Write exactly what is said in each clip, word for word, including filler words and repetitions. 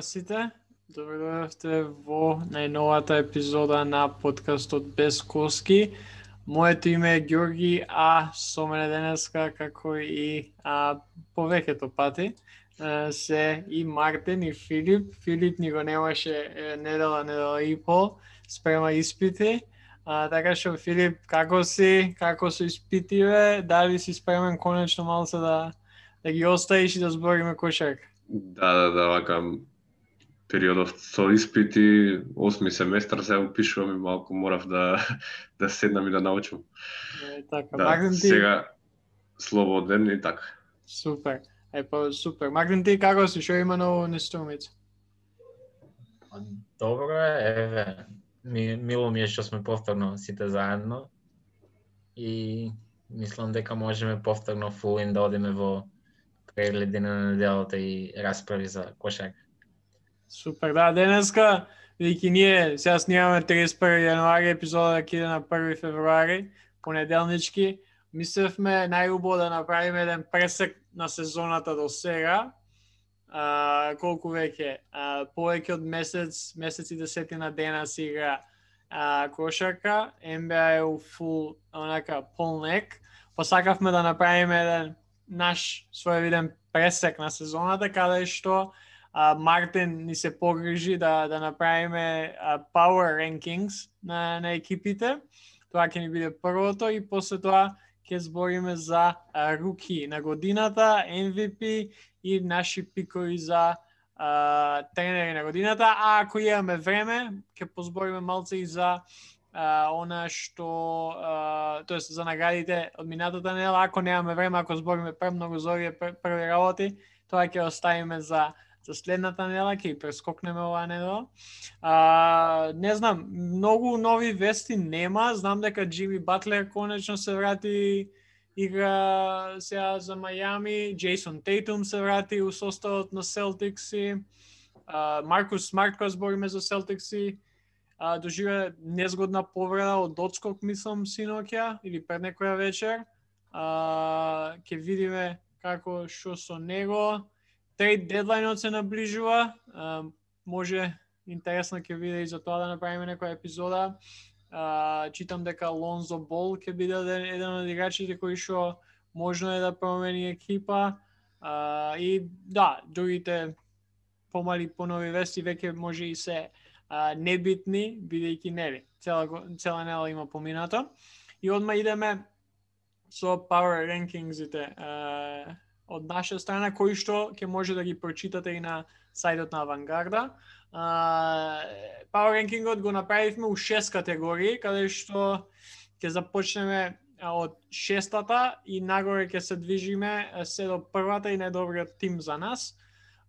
сите. Добро дојдовте во најновата епизода на подкастот Без Коски. Моето име е Ѓорги, а со мене денеска, како и а, повеќето пати, а, се и Мартин и Филип. Филип ни го немаше е, недела, недела и пол, спрема испити. А, така што, Филип, како си? Како се испитиве? Дали си спремен конечно малце да, да ги оставиш и да збориме кошарка? Да, да, да, вака периодов со испити, осми семестар се упишувам и малку морав да да седнам и да научам. Е, така, Да, Мартин ти... сега слободен и така. Супер. Е, па супер. Мартин ти како си? Шо има ново на Струмица? Добро е, еве. Ми, мило ми е што сме повторно сите заедно и мислам дека можеме повторно фулин да одиме во прегледи на неделата и расправи за кошарка. Супер, да, денеска, бидејќи ние сега снимаме триесет и први јануари, епизода ќе иде на први февруари, понеделнички. Мислевме најубаво да направиме еден пресек на сезоната до сега. А, колку веќе? А, повеќе од месец, месец и десетина дена се игра а, кошарка. Н Б А е у фул, онака, полнек. Посакавме да направиме еден наш своевиден пресек на сезоната, каде што а, Мартин ни се погрижи да, да направиме а, Power Rankings на, на екипите. Тоа ќе ни биде првото и после тоа ќе збориме за а, руки на годината, М В П и наши пикови за а, тренери на годината. А ако имаме време, ќе позбориме малце и за а, она што, а, тоест за наградите од минатата недела. Ако немаме време, ако збориме премногу за овие први работи, тоа ќе оставиме за за следната недела, ќе прескокнеме оваа недела. А, не знам, многу нови вести нема. Знам дека Джими Батлер конечно се врати игра сега за Мајами. Джейсон Тейтум се врати у составот на Селтикси. Маркус Смарт, кога збориме за Селтикси, доживе незгодна повреда од одскок, мислам, синоќа или пред некоја вечер. А, ќе видиме како што со него. Трейд дедлајнот се наближува, uh, може интересно ќе биде и за тоа да направиме некоја епизода. Uh, читам дека Лонзо Бол ќе биде еден од играчите кои што можно е да промени екипа. Uh, и да, другите помали понови вести веќе може и се uh, небитни, бидејќи нели цела цела недела има поминато. И одма идеме со Power Rankingsите. Uh, од наша страна, кои што ќе може да ги прочитате и на сајтот на Авангарда. Uh, Power Rankingот го направивме у шест категории, каде што ќе започнеме од шестата и нагоре ќе се движиме се до првата и најдобриот тим за нас.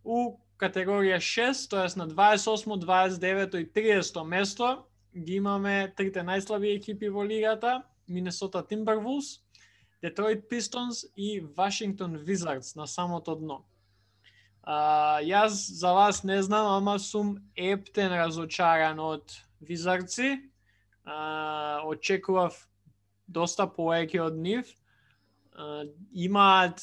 У категорија шест, тоест на дваесет и осмо, дваесет и девето и триесетто место, ги имаме трите најслаби екипи во лигата, Минесота Тимбервулс, Детройт Пистонс и Вашингтон Визардс на самото дно. А, јас за вас не знам, ама сум ептен разочаран од Визардси. А, очекував доста повеќе од нив. А, имаат,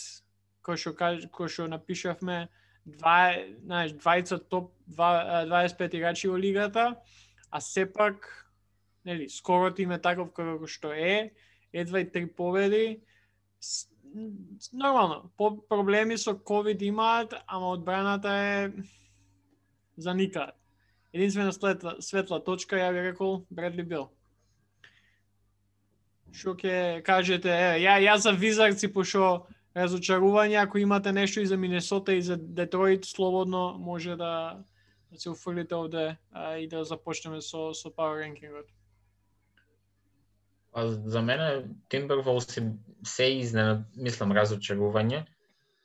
кој што кој што напишавме, два, знаеш, двајца топ дваесет и пет играчи во лигата, а сепак, нели, скоро тим е таков како што е. Едва и три победи. Нормално, по проблеми со ковид имаат, ама одбраната е за никад. Единствена светла, светла точка, ја би рекол, Бредли Бил. Шо ќе кажете, е, ја, ја за Визардси пошо разочарување, ако имате нешто и за Минесота и за Детройт, слободно може да, да се уфрлите овде а, и да започнеме со, со Power Rankingот. А за мене Timberwolves се изненад, мислам, разочарување,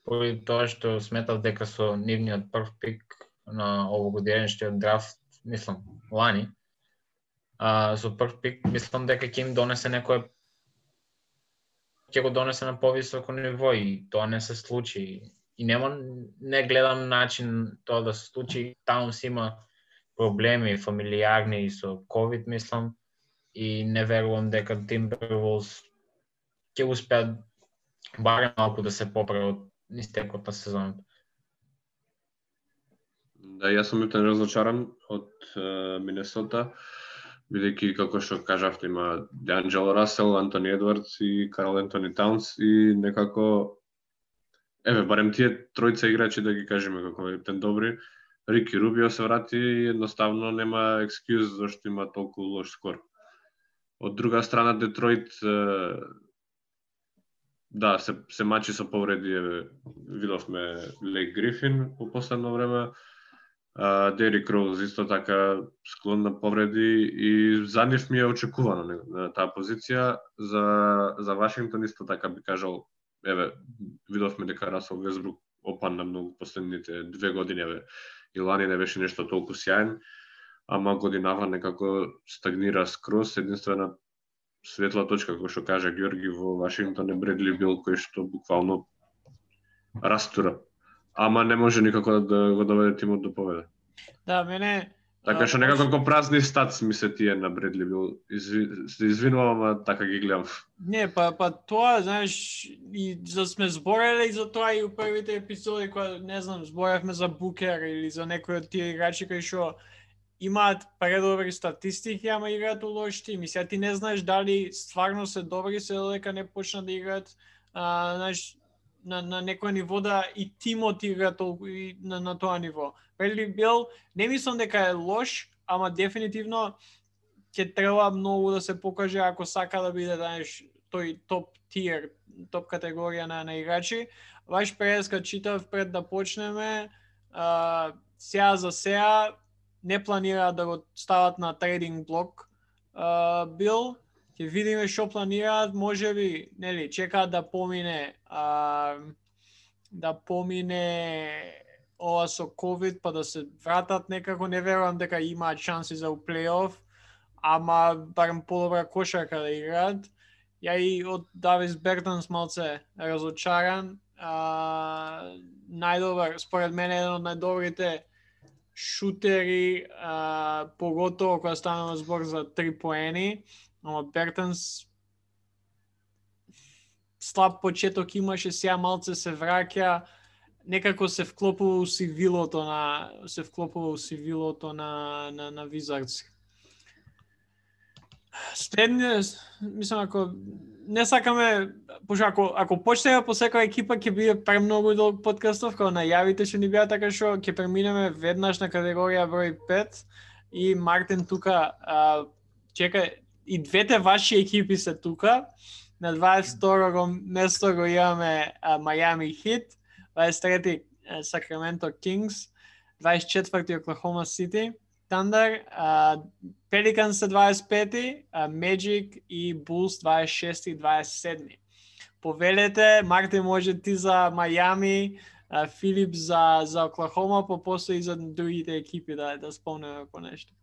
поради тоа што сметав дека со нивниот прв пик на овогодишниот драфт, мислам, лани, а, со прв пик, мислам дека ќе им донесе некој, ќе го донесе на повисоко ниво и тоа не се случи. И нема, не гледам начин тоа да се случи. Таунс има проблеми фамилиарни со ковид, мислам, и не верувам дека Timberwolves ќе успеат барем малку да се поправат од истекот на сезоната. Да, јас сум милтен разочаран од Минесота, бидејќи како што кажавте има D'Angelo Russell, Антони Едвардс и Карл Антони Таунс и некако еве барем тие тројца играчи да ги кажеме како милтен добри. Рики Рубио се врати и едноставно нема екскюз зашто има толку лош скор. Од друга страна Детройт да, се, се мачи со повреди, видовме Лейк Грифин по последно време, Дерик Роуз исто така склон на повреди и за нив ми е очекувано на, на таа позиција. За, за Вашингтон исто така би кажал, еве, видовме дека Расел Весбрук опадна многу последните две години, еве, и лани не беше нешто толку сјаен, ама годинава некако стагнира скроз. Единствена светла точка, кој што кажа Ѓорги, во Вашингтон е Бредли Бил, кој што буквално растура. Ама не може никако да го доведе тимот до победа. Да, мене... Така што некако ко празни стац ми се тие на Бредли Бил. Изви... Се извинувам, ама така ги гледам. Не, па, па тоа, знаеш, и за сме збореле за тоа и у првите епизоди, кога, не знам, зборевме за Букер или за некој од тие играчи кои што имаат предобри статистики, ама играат у лош тим. И сега ти не знаеш дали стварно се добри, се додека не почнат да играат, а, знаеш, на, на некој ниво да и тимот игра толку и на, на тоа ниво. Бредли Бил, не мислам дека е лош, ама дефинитивно ќе треба многу да се покаже ако сака да биде, знаеш, тој топ тиер, топ категорија на, на играчи. Ваш преска читав пред да почнеме, а, сега за сега не планираат да го стават на трейдинг блок. Uh, Бил, ќе видиме што планираат, можеби, нели, чекаат да помине uh, да помине ова со ковид, па да се вратат некако. Не верувам дека имаат шанси за плейоф, ама барем подобра кошарка да играат. Ја и од Давис Бертонс малце разочаран. Uh, најдобар, според мене, еден од најдобрите шутери, а, поготово кога станува збор за три поени, ама Бертонс слаб почеток имаше, сега малце се враќа, некако се вклопува у сивилото на се вклопува у сивилото на на на Wizards. Следне, мислам, ако не сакаме, пошто ако, ако почнеме по секоја екипа ќе биде премногу долг подкастов, кога најавите што ни беа, така што ќе преминеме веднаш на категорија број пет. И Мартин тука, а, чека, и двете ваши екипи се тука. На дваесет и второ место го имаме Miami Heat, дваесет и трети Sacramento Kings, дваесет и четврти Oklahoma City Thunder, uh, Pelicans дваесет и пети, uh, Magic и Bulls дваесет и шести и дваесет и седми. Повелете, Мартин може ти за Майами, uh, Филип за, за Оклахома, по после и за другите екипи да, да спомнеме по нешто.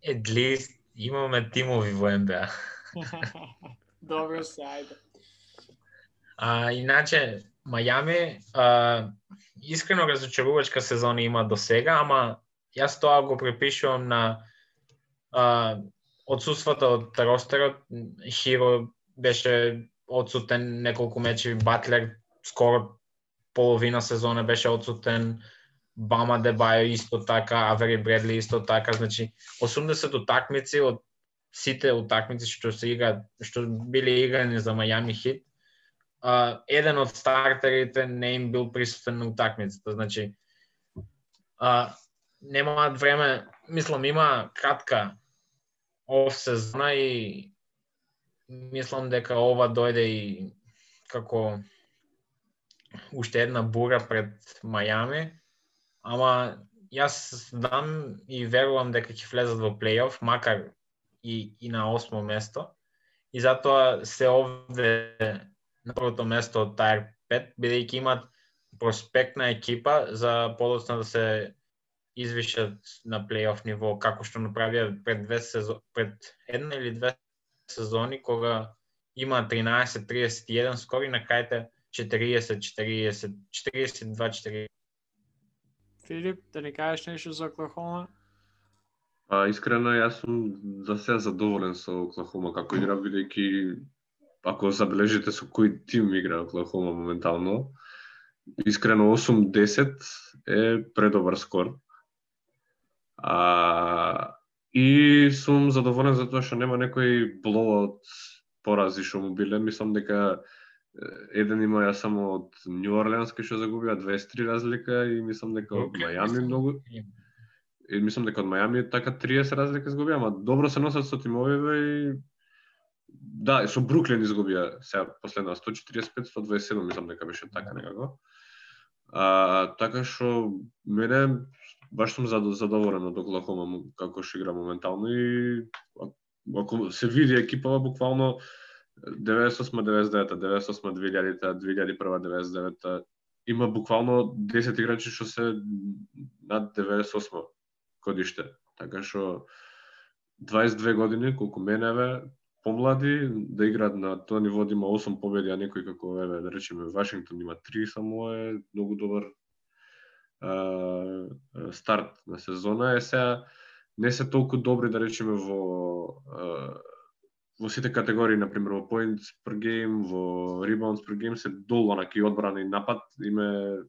At least имаме тимови во Н Б А. Добро се, ајде. А, иначе, Мајами, а, искрено разочарувачка сезона има до сега, ама јас тоа го препишувам на а, отсуството од ростерот. Хиро беше отсутен неколку мечи, Батлер скоро половина сезона беше отсутен, Бама Дебајо исто така, Авери Бредли исто така, значи осумдесет утакмици од сите утакмици што се играат, што биле играни за Мајами Хит, uh, еден од стартерите не им бил присутен на утакмицата, значи uh, немаат време, мислам има кратка оф сезона и мислам дека ова дојде и како уште една бура пред Мајами, ама јас знам и верувам дека ќе влезат во плейоф, макар и, и на осмо место, и затоа се овде на првото место од Тајр пет, бидејќи имат проспектна екипа за подоцна да се извишат на плейоф ниво, како што направија пред две сезони, пред една или две сезони, кога има тринаесет триесет и еден скори на крајте четириесет четириесет, четириесет и два четириесет. Филип, да не кажеш нешто за Оклахома? А, искрено, јас сум за сега задоволен со Оклахома како игра, бидејќи ако забележите со кој тим игра Оклахома моментално, искрено осум десет е предобар скор. А, и сум задоволен за тоа што нема некој блоут порази што му биле. Мислам дека еден има ја само од Нью Орлеанс кој што загубија дваесет и три разлика и мислам дека од Мајами многу и мислам дека од Мајами така триесет разлика изгубија, ама добро се носат со тимовиве и да, со Бруклин изгубија сега последна сто четиридесет пет сто дваесет и седум мислам дека беше така некако. А, така што мене баш сум задоволен од Оклахома како што игра моментално и ако се види екипава буквално деветдесет и осма деветдесет и девета, деветдесет и осма две илјадите, две илјади и прва деветдесет и девета има буквално десет играчи што се над деветдесет и осма годиште. Така што дваесет и две години колку мене бе помлади да играат на тоа ниво, да има осум победи, а некој како еве да речеме Вашингтон има три само е многу добар а, старт на сезона. Е сега не се толку добри да речеме во а, во сите категории, на пример во points per game, во rebounds per game се долу онаки одбрана и напад име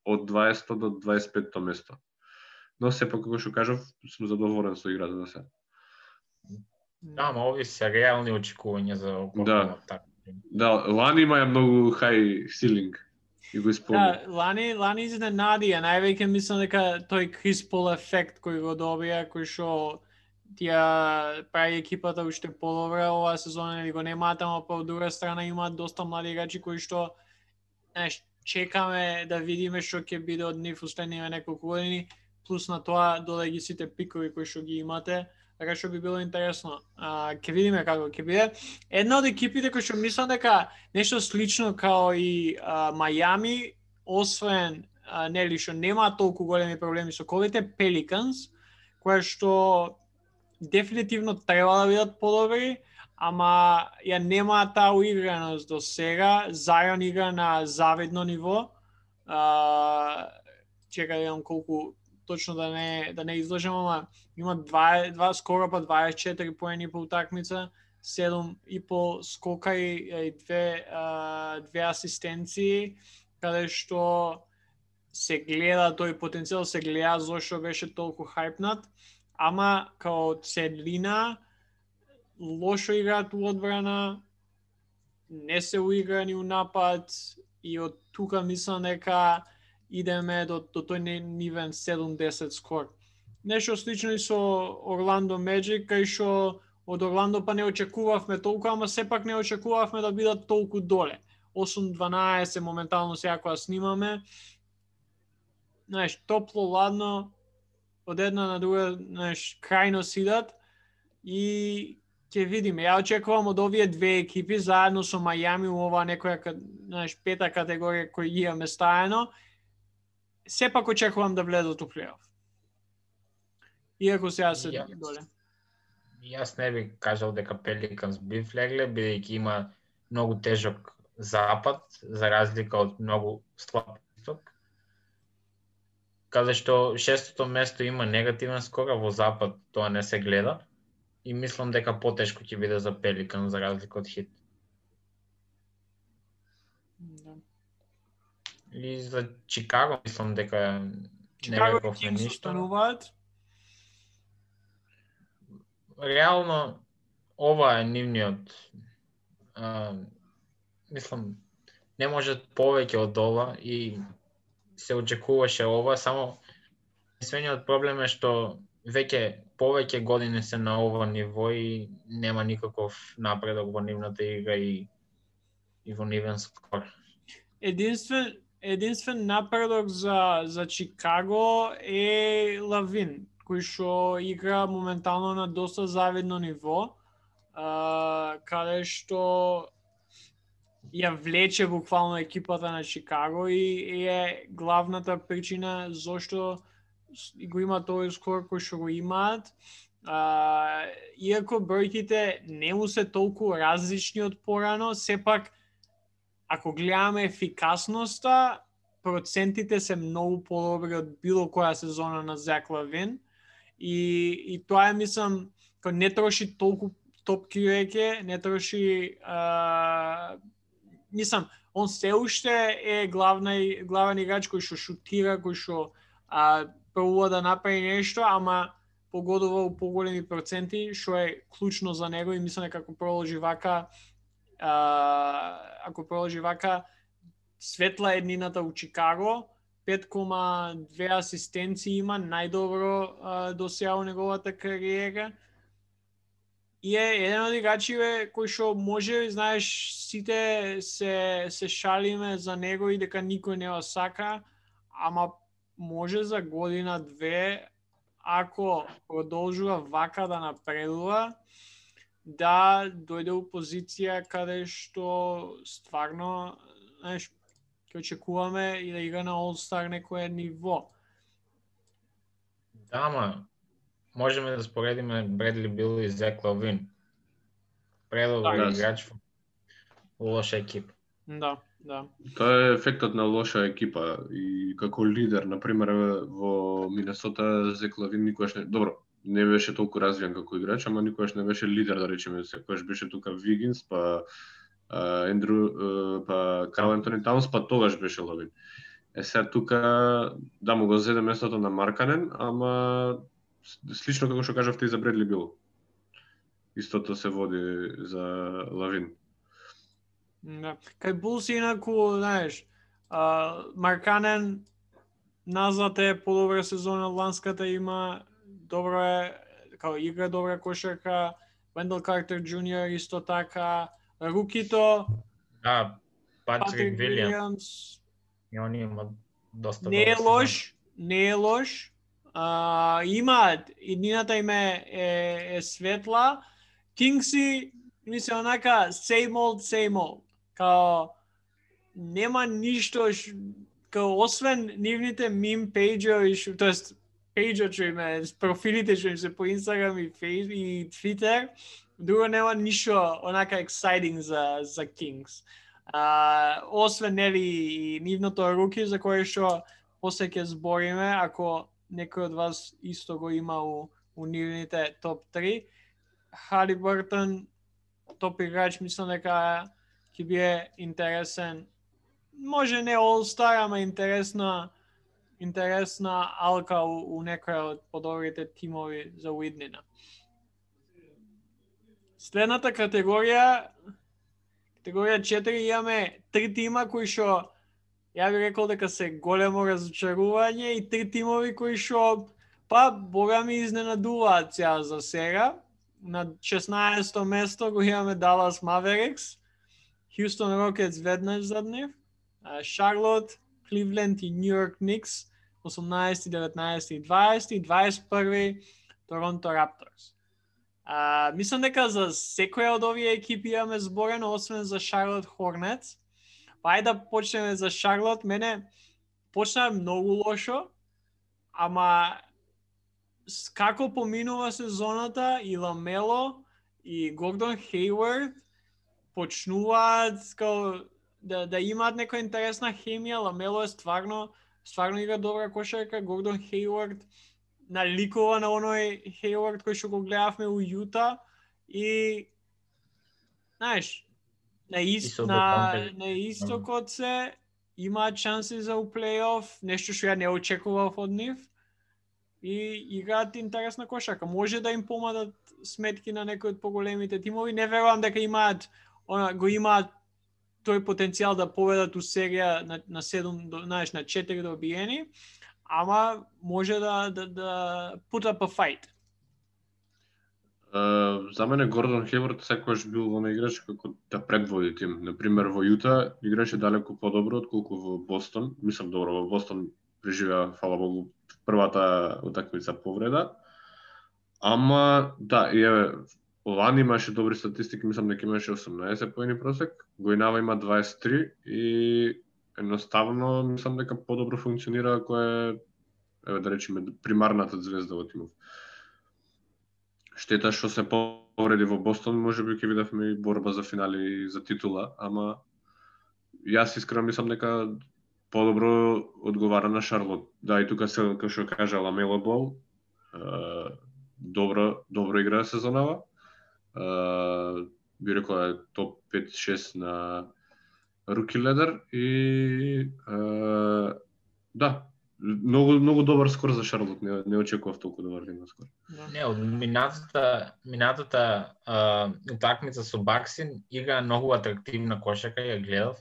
од дваесетто до дваесет и петто место. Но сепак како што кажав, сум задоволен со играта за сега. Да, ама ови се реални очекувања за Оклахома. Да. Да, лани има многу high ceiling и го исполни. Да, лани, лани изненади, а највеќе мислам дека тој Крис Пол ефект кој го добија, кој што тија прави екипата уште подобра оваа сезона, или го немаат, ама по друга страна имаат доста млади играчи кои што знаеш, чекаме да видиме што ќе биде од нив устследниве неколку години, плюс на тоа додаѓа сите пикови кои што ги имате. Така што би било интересно. А, ќе видиме како ќе биде. Една од екипите кои што мислам дека нешто слично као и а, Мајами, освен а, нели што нема толку големи проблеми со ковите, Pelicans, која што дефинитивно треба да бидат подобри, ама ја нема таа уиграност до сега. Зајон игра на завидно ниво. А, чека да видам колку точно да не да не излажам, ама има два, два скоро па дваесет и четири поени по утакмица, седум и пол скока и, и две а, две асистенции, каде што се гледа тој потенцијал, се гледа зошто беше толку хајпнат, ама као целина лошо играат у одбрана, не се уиграни у напад и од тука мислам дека идеме до, до тој нивен седумдесет скор. Нешто слично и со Орландо Меджик, кај што од Орландо па не очекувавме толку, ама сепак не очекувавме да бидат толку доле. осум дванаесет моментално сега кога снимаме. Знаеш, топло, ладно, од една на друга, знаеш, крајно сидат и ќе видиме. Ја очекувам од овие две екипи заедно со Мајами у ова некоја, знаеш, пета категорија кој ги имаме стаено. Сепак очекувам да влезат у плейоф. Иако сега се Јас, доле. Јас не би кажал дека Pelicans би влегле, бидејќи има многу тежок запад, за разлика од многу слаб исток. Каде што шестото место има негативен скор, а во запад тоа не се гледа. И мислам дека потешко ќе биде за Pelicans за разлика од Хит. Да. И за Чикаго мислам дека Чикаго не и рековме Кингс ништо. остануваат. Реално ова е нивниот а, мислам не може повеќе од ова и се очекуваше ова, само единствениот проблем е што веќе повеќе години се на ова ниво и нема никаков напредок во нивната игра и и во нивен скор. Единствен единствен напредок за за Чикаго е Лавин, кој што игра моментално на доста завидно ниво, а, каде што ја влече буквално екипата на Чикаго и е главната причина зошто го има тој скор кој што го имаат. А, иако бројките не му се толку различни од порано, сепак ако гледаме ефикасноста, процентите се многу подобри од било која сезона на Зак Лавин. И, и тоа е, мислам, кога не троши толку топки веќе, не троши... А, мислам, он се уште е главна, главен играч кој што шутира, кој што а, пробува да направи нешто, ама погодува у поголеми проценти, што е клучно за него и мислам дека ако продолжи вака, а, ако продолжи вака, светла еднината у Чикаго, пет кома две асистенции има, најдобро до сега у неговата кариера. И е еден од играчиве кој што може, знаеш, сите се се шалиме за него и дека никој не го сака, ама може за година две, ако продолжува вака да напредува, да дојде у позиција каде што стварно, знаеш, ќе очекуваме и да игра на All-Star некое ниво. Да, ама можеме да споредиме Бредли Бил и Зек Лавин. Предобар Да, играч во лоша екипа. Да, да. Тоа е ефектот на лоша екипа и како лидер, на пример во Минесота Зек Лавин никогаш не, добро, не беше толку развиен како играч, ама никогаш не беше лидер, да речеме, секогаш беше тука Вигинс, па Ендрю, па Карл Антони Таунс, па тогаш беше Лавин. Е сега тука да му го зеде местото на Марканен, ама слично како што кажавте и за Бредли Бил. Истото се води за Лавин. Да. Кај Булс инаку, знаеш, а, Марканен назад е подобра сезона, ланската има, добро е, као игра добра кошарка, Вендел Картер Джуниор исто така, рукито, А, Патрик Патрик Вилијамс. Вилијамс, И он има доста не е добра лош, не е лош, а, има, иднината им е, е, е светла, Кингси, мисля, онака, same old, same old. Као, нема ништо, ш, као, освен нивните мим пейджови, ш, тоест, пейджот што им е, профилите што им се по Инстаграм и Фейс и Твитер, друго нема ништо онака exciting за, за Kings. А, освен, нели, и нивното руки, за кое што после ќе збориме, ако некој од вас исто го има у, у нивните топ три, Халибъртън, топ играч, мислам дека ќе биде интересен. Може не All-Star, ама интересна интересна алка у, у некоја од подобрите тимови за уиднина. Следната категорија, категорија четири, имаме три тима кои што ја би рекол дека се големо разочарување и три тимови кои што па бога ми изненадуваат сега за сега. На шеснаесто место го имаме Dallas Mavericks, Houston Rockets веднаш зад нив, Charlotte, Cleveland и New York Knicks, осумнаесети, деветнаесети и дваесети, дваесет и први Toronto Raptors. А, мислам дека за секоја од овие екипи имаме зборено, освен за Charlotte Hornets. Па ајде да почнеме за Charlotte. Мене почна многу лошо, ама како поминува сезоната и Ламело и Гордон Хейвард почнуваат као да, да имаат некоја интересна хемија. Ламело е стварно, стварно игра добра кошарка. Гордон Хейвард наликува на оној Хейвард кој што го гледавме у Јута и знаеш, на, ист, на, на истокот се имаат шанси за у плейоф, нешто што ја не очекував од нив. И играат интересна кошарка. Може да им помадат сметки на некои од поголемите тимови. Не верувам дека имаат, она, го имаат тој потенцијал да победат у серија на, на седум, знаеш, на четири добиени, ама може да да да put up a fight. Uh, за мене Гордон Хейвард секогаш бил во играч како да предводи тим. Например, во Јута играше далеку подобро отколку во Бостон. Мислам, добро, во Бостон преживеа, фала Богу, првата утакмица повреда. Ама, да, и еве, лани имаше добри статистики, мислам дека имаше осумнаесет поени просек, Гоинава има дваесет и три и едноставно мислам дека подобро функционира ако е, еве да речеме, примарната звезда во тимов. Штета што се повреди во Бостон, можеби ќе видевме и борба за финали за титула, ама јас искрено мислам дека подобро одговара на Шарлот. Да, и тука се, како што кажа Ламело Бол, добро, добро игра сезонава. Би рекол е топ пет шест на руки ледер и да, многу многу добар скор за Шарлот, не, не очекував толку добар да има скор. Не, од минатата минатата а, утакмица со Баксин игра многу атрактивна кошака, ја гледав.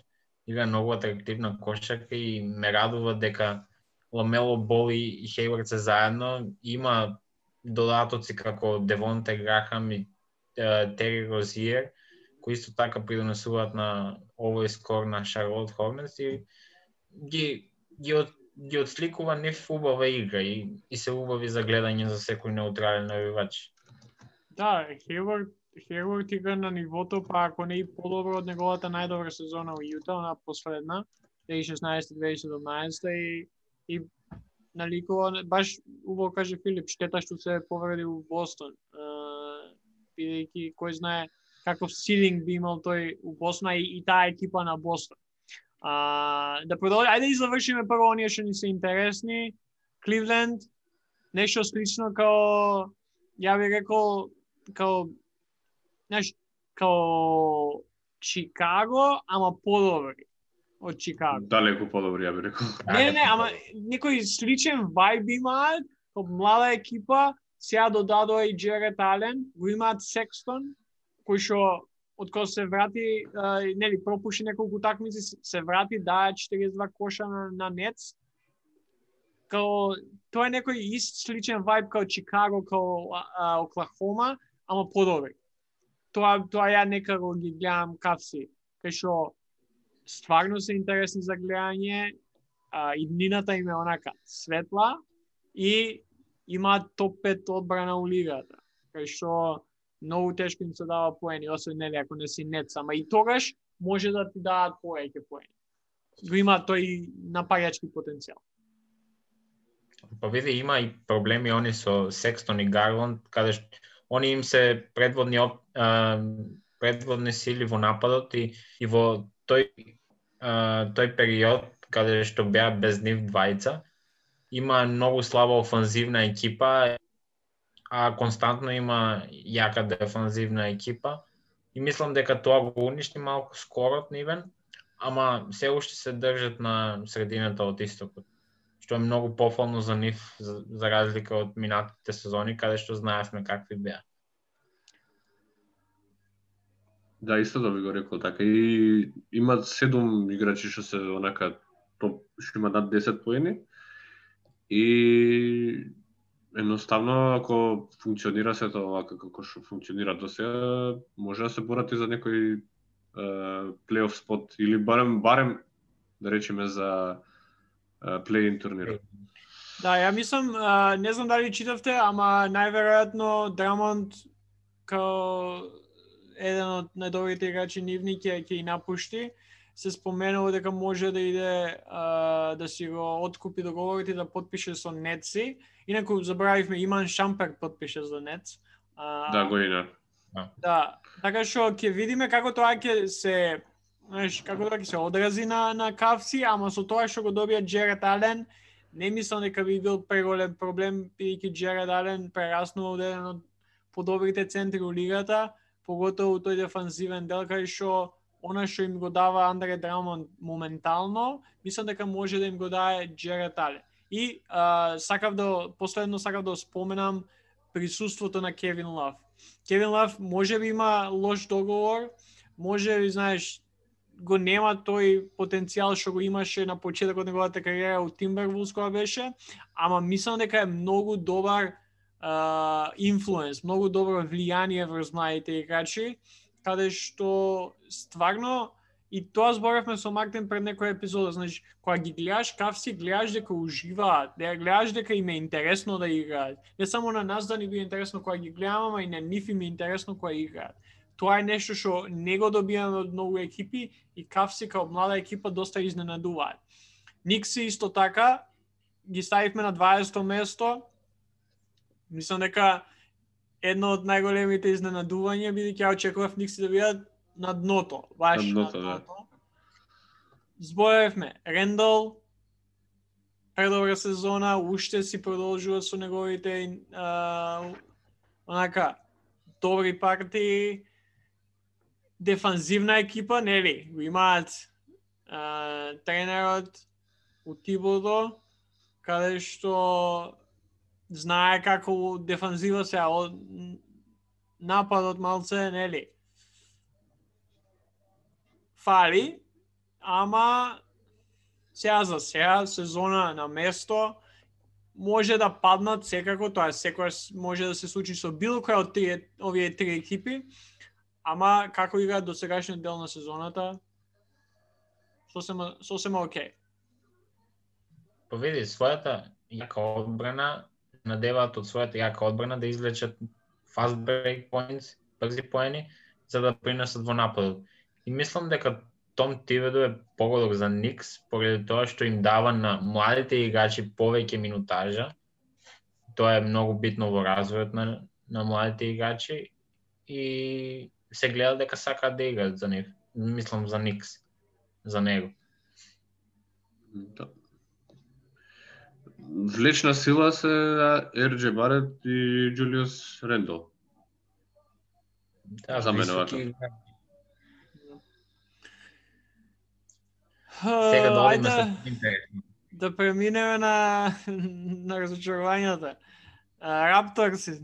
Игра многу атрактивна кошака и ме радува дека Ламело Бол и Хејвард се заедно, има додатоци како Девонте Грахам и uh, Тери Розиер, кои исто така придонесуваат на овој скор на Шарлот Хорнетс и ги ги од ги отсликува нив убава игра и, и се убави за гледање за секој неутрален навивач. Да, Хејвард Хејвард игра на нивото, па ако не и подобро од неговата најдобра сезона во Јута, она последна, две илјади и шеснаесета две илјади и седумнаесета и и наликува, баш убаво каже Филип, штета што се повреди во Бостон. Бидејќи кој знае каков силинг би имал тој у Бостон и, и таа екипа на Бостон. А, да продолжи, ајде да завршиме прво оние што ни се интересни. Кливленд, нешто слично као, ја би рекол, као, знаеш, као Чикаго, ама подобри од Чикаго. Далеку подобри, ја би рекол. Не, не, ама некој сличен вајб имаат, као млада екипа, сега додадоа и Джерет Ален, го имаат Секстон, кој што од кога се врати, а, нели, пропуши неколку такмици, се врати, даа четириесет и два коша на, на Нетс. Као, тоа е некој ист сличен вајб као Чикаго, као а, Оклахома, ама подобри. Тоа, тоа ја некако ги гледам кавси, кај што стварно се интересни за гледање, а, иднината им е онака светла и имаат топ пет одбрана у лигата, кај што многу тешко им се дава поени, освен нели ако не си Нетс, ама и тогаш може да ти дадат повеќе поени. Го има тој напаѓачки потенцијал. Па види, има и проблеми они со Секстон и Гарланд, каде што они им се предводни оп, а, предводни сили во нападот и, и во тој а, тој период каде што беа без нив двајца, има многу слаба офанзивна екипа, а константно има јака дефанзивна екипа и мислам дека тоа го уништи малку скорот нивен, ама се уште се држат на средината од истокот, што е многу пофално за нив, за, за разлика од минатите сезони, каде што знаевме какви беа. Да, исто да би го рекол така. И имаат седум играчи што се онака топ, што имаат над десет поени. И едноставно, ако функционира сето овака како што функционира до сега, може да се борат и за некој плейоф спот или барем барем да речеме за плей-ин турнир. Да, ја мислам, а, не знам дали читавте, ама најверојатно Драмонд као еден од најдобрите играчи нивни ќе ќе и напушти. Се споменува дека може да иде а, да си го откупи договорот и да потпише со Нетси. Инаку забравивме, Иман Шампер потпише за Нетс. А, Да, година. Да, така што ќе видиме како тоа ќе се, знаеш, како тоа ќе се одрази на на Кавси, ама со тоа што го добија Джерет Ален, не мислам дека би бил преголем проблем, бидејќи Джерет Ален прераснува од еден од подобрите центри у лигата, поготово тој дефанзивен дел кај што она што им го дава Андре Драмонд моментално, мислам дека може да им го даде Джерет Ален. И а, сакав да последно сакав да споменам присуството на Кевин Лав. Кевин Лав може би има лош договор, може би, знаеш, го нема тој потенцијал што го имаше на почетокот на неговата кариера у Тимбервулс кога беше, ама мислам дека е многу добар инфлуенс, uh, многу добро влијание врз младите играчи, каде што стварно, и тоа зборавме со Мартин пред некоја епизода, значи, кога ги гледаш Кавси, гледаш дека уживаат, да гледаш дека им е интересно да играат. Не само на нас да ни биде интересно кога ги гледаме, ама и на нив им е интересно кога играат. Тоа е нешто што не го добиваме од многу екипи и Кавси као млада екипа доста изненадуваат. Никси исто така ги ставивме на дваесето место. Мислам дека едно од најголемите изненадувања бидејќи ја очекував Никси да бидат на дното, баш на дното. Да. Збоевме Рендал, предобра сезона, уште си продолжува со неговите а, онака добри партии. Дефанзивна екипа, нели, го имаат а, тренерот у Тибодо, каде што знае како дефанзива се, од нападот малце, нели? Фали, ама сега за сега сезона на место може да паднат секако, тоа секогаш може да се случи со било која од тие овие три екипи, ама како играат до сегашниот дел на сезоната, сосема сосема окей. Поведи својата јака одбрана, надеваат од својата јака одбрана да извлечат fast break points, брзи поени, за да принесат во нападот. И мислам дека Том Тибедо е погодок за Никс, поради тоа што им дава на младите играчи повеќе минутажа. Тоа е многу битно во развојот на, на младите играчи и се гледа дека сакаат да играат за нив. Мислам за Никс, за него. Да. Влечна сила се Ер Џе Барет и Џулиус Рендол. Да, за мене високи... вака. Сега да одиме ајде со интересно. да преминеме на на разочарувањата. Рапторси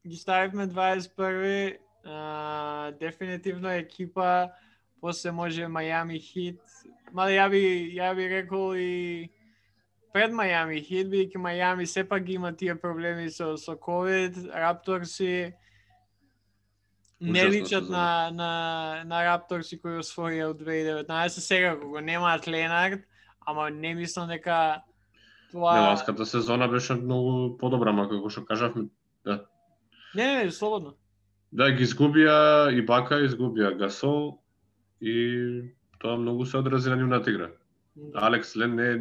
ги ставивме дваесет и први, а, дефинитивно екипа, после може Мајами Хит. Мали ја би ја би рекол и пред Мајами Хит, бидејќи Мајами сепак ги има тие проблеми со со ковид, Рапторси не личат на, на, на Рапторси кои освоија од две илјади и деветнаесетта. Сега кога немаат Ленард, ама не мислам дека тоа... Не, ласката сезона беше многу подобра, ма како што кажавме, да. Не, не, слободно. Да, ги изгубија и Бака, изгубија Гасол и тоа многу се одрази на нивната игра. Алекс Лен не е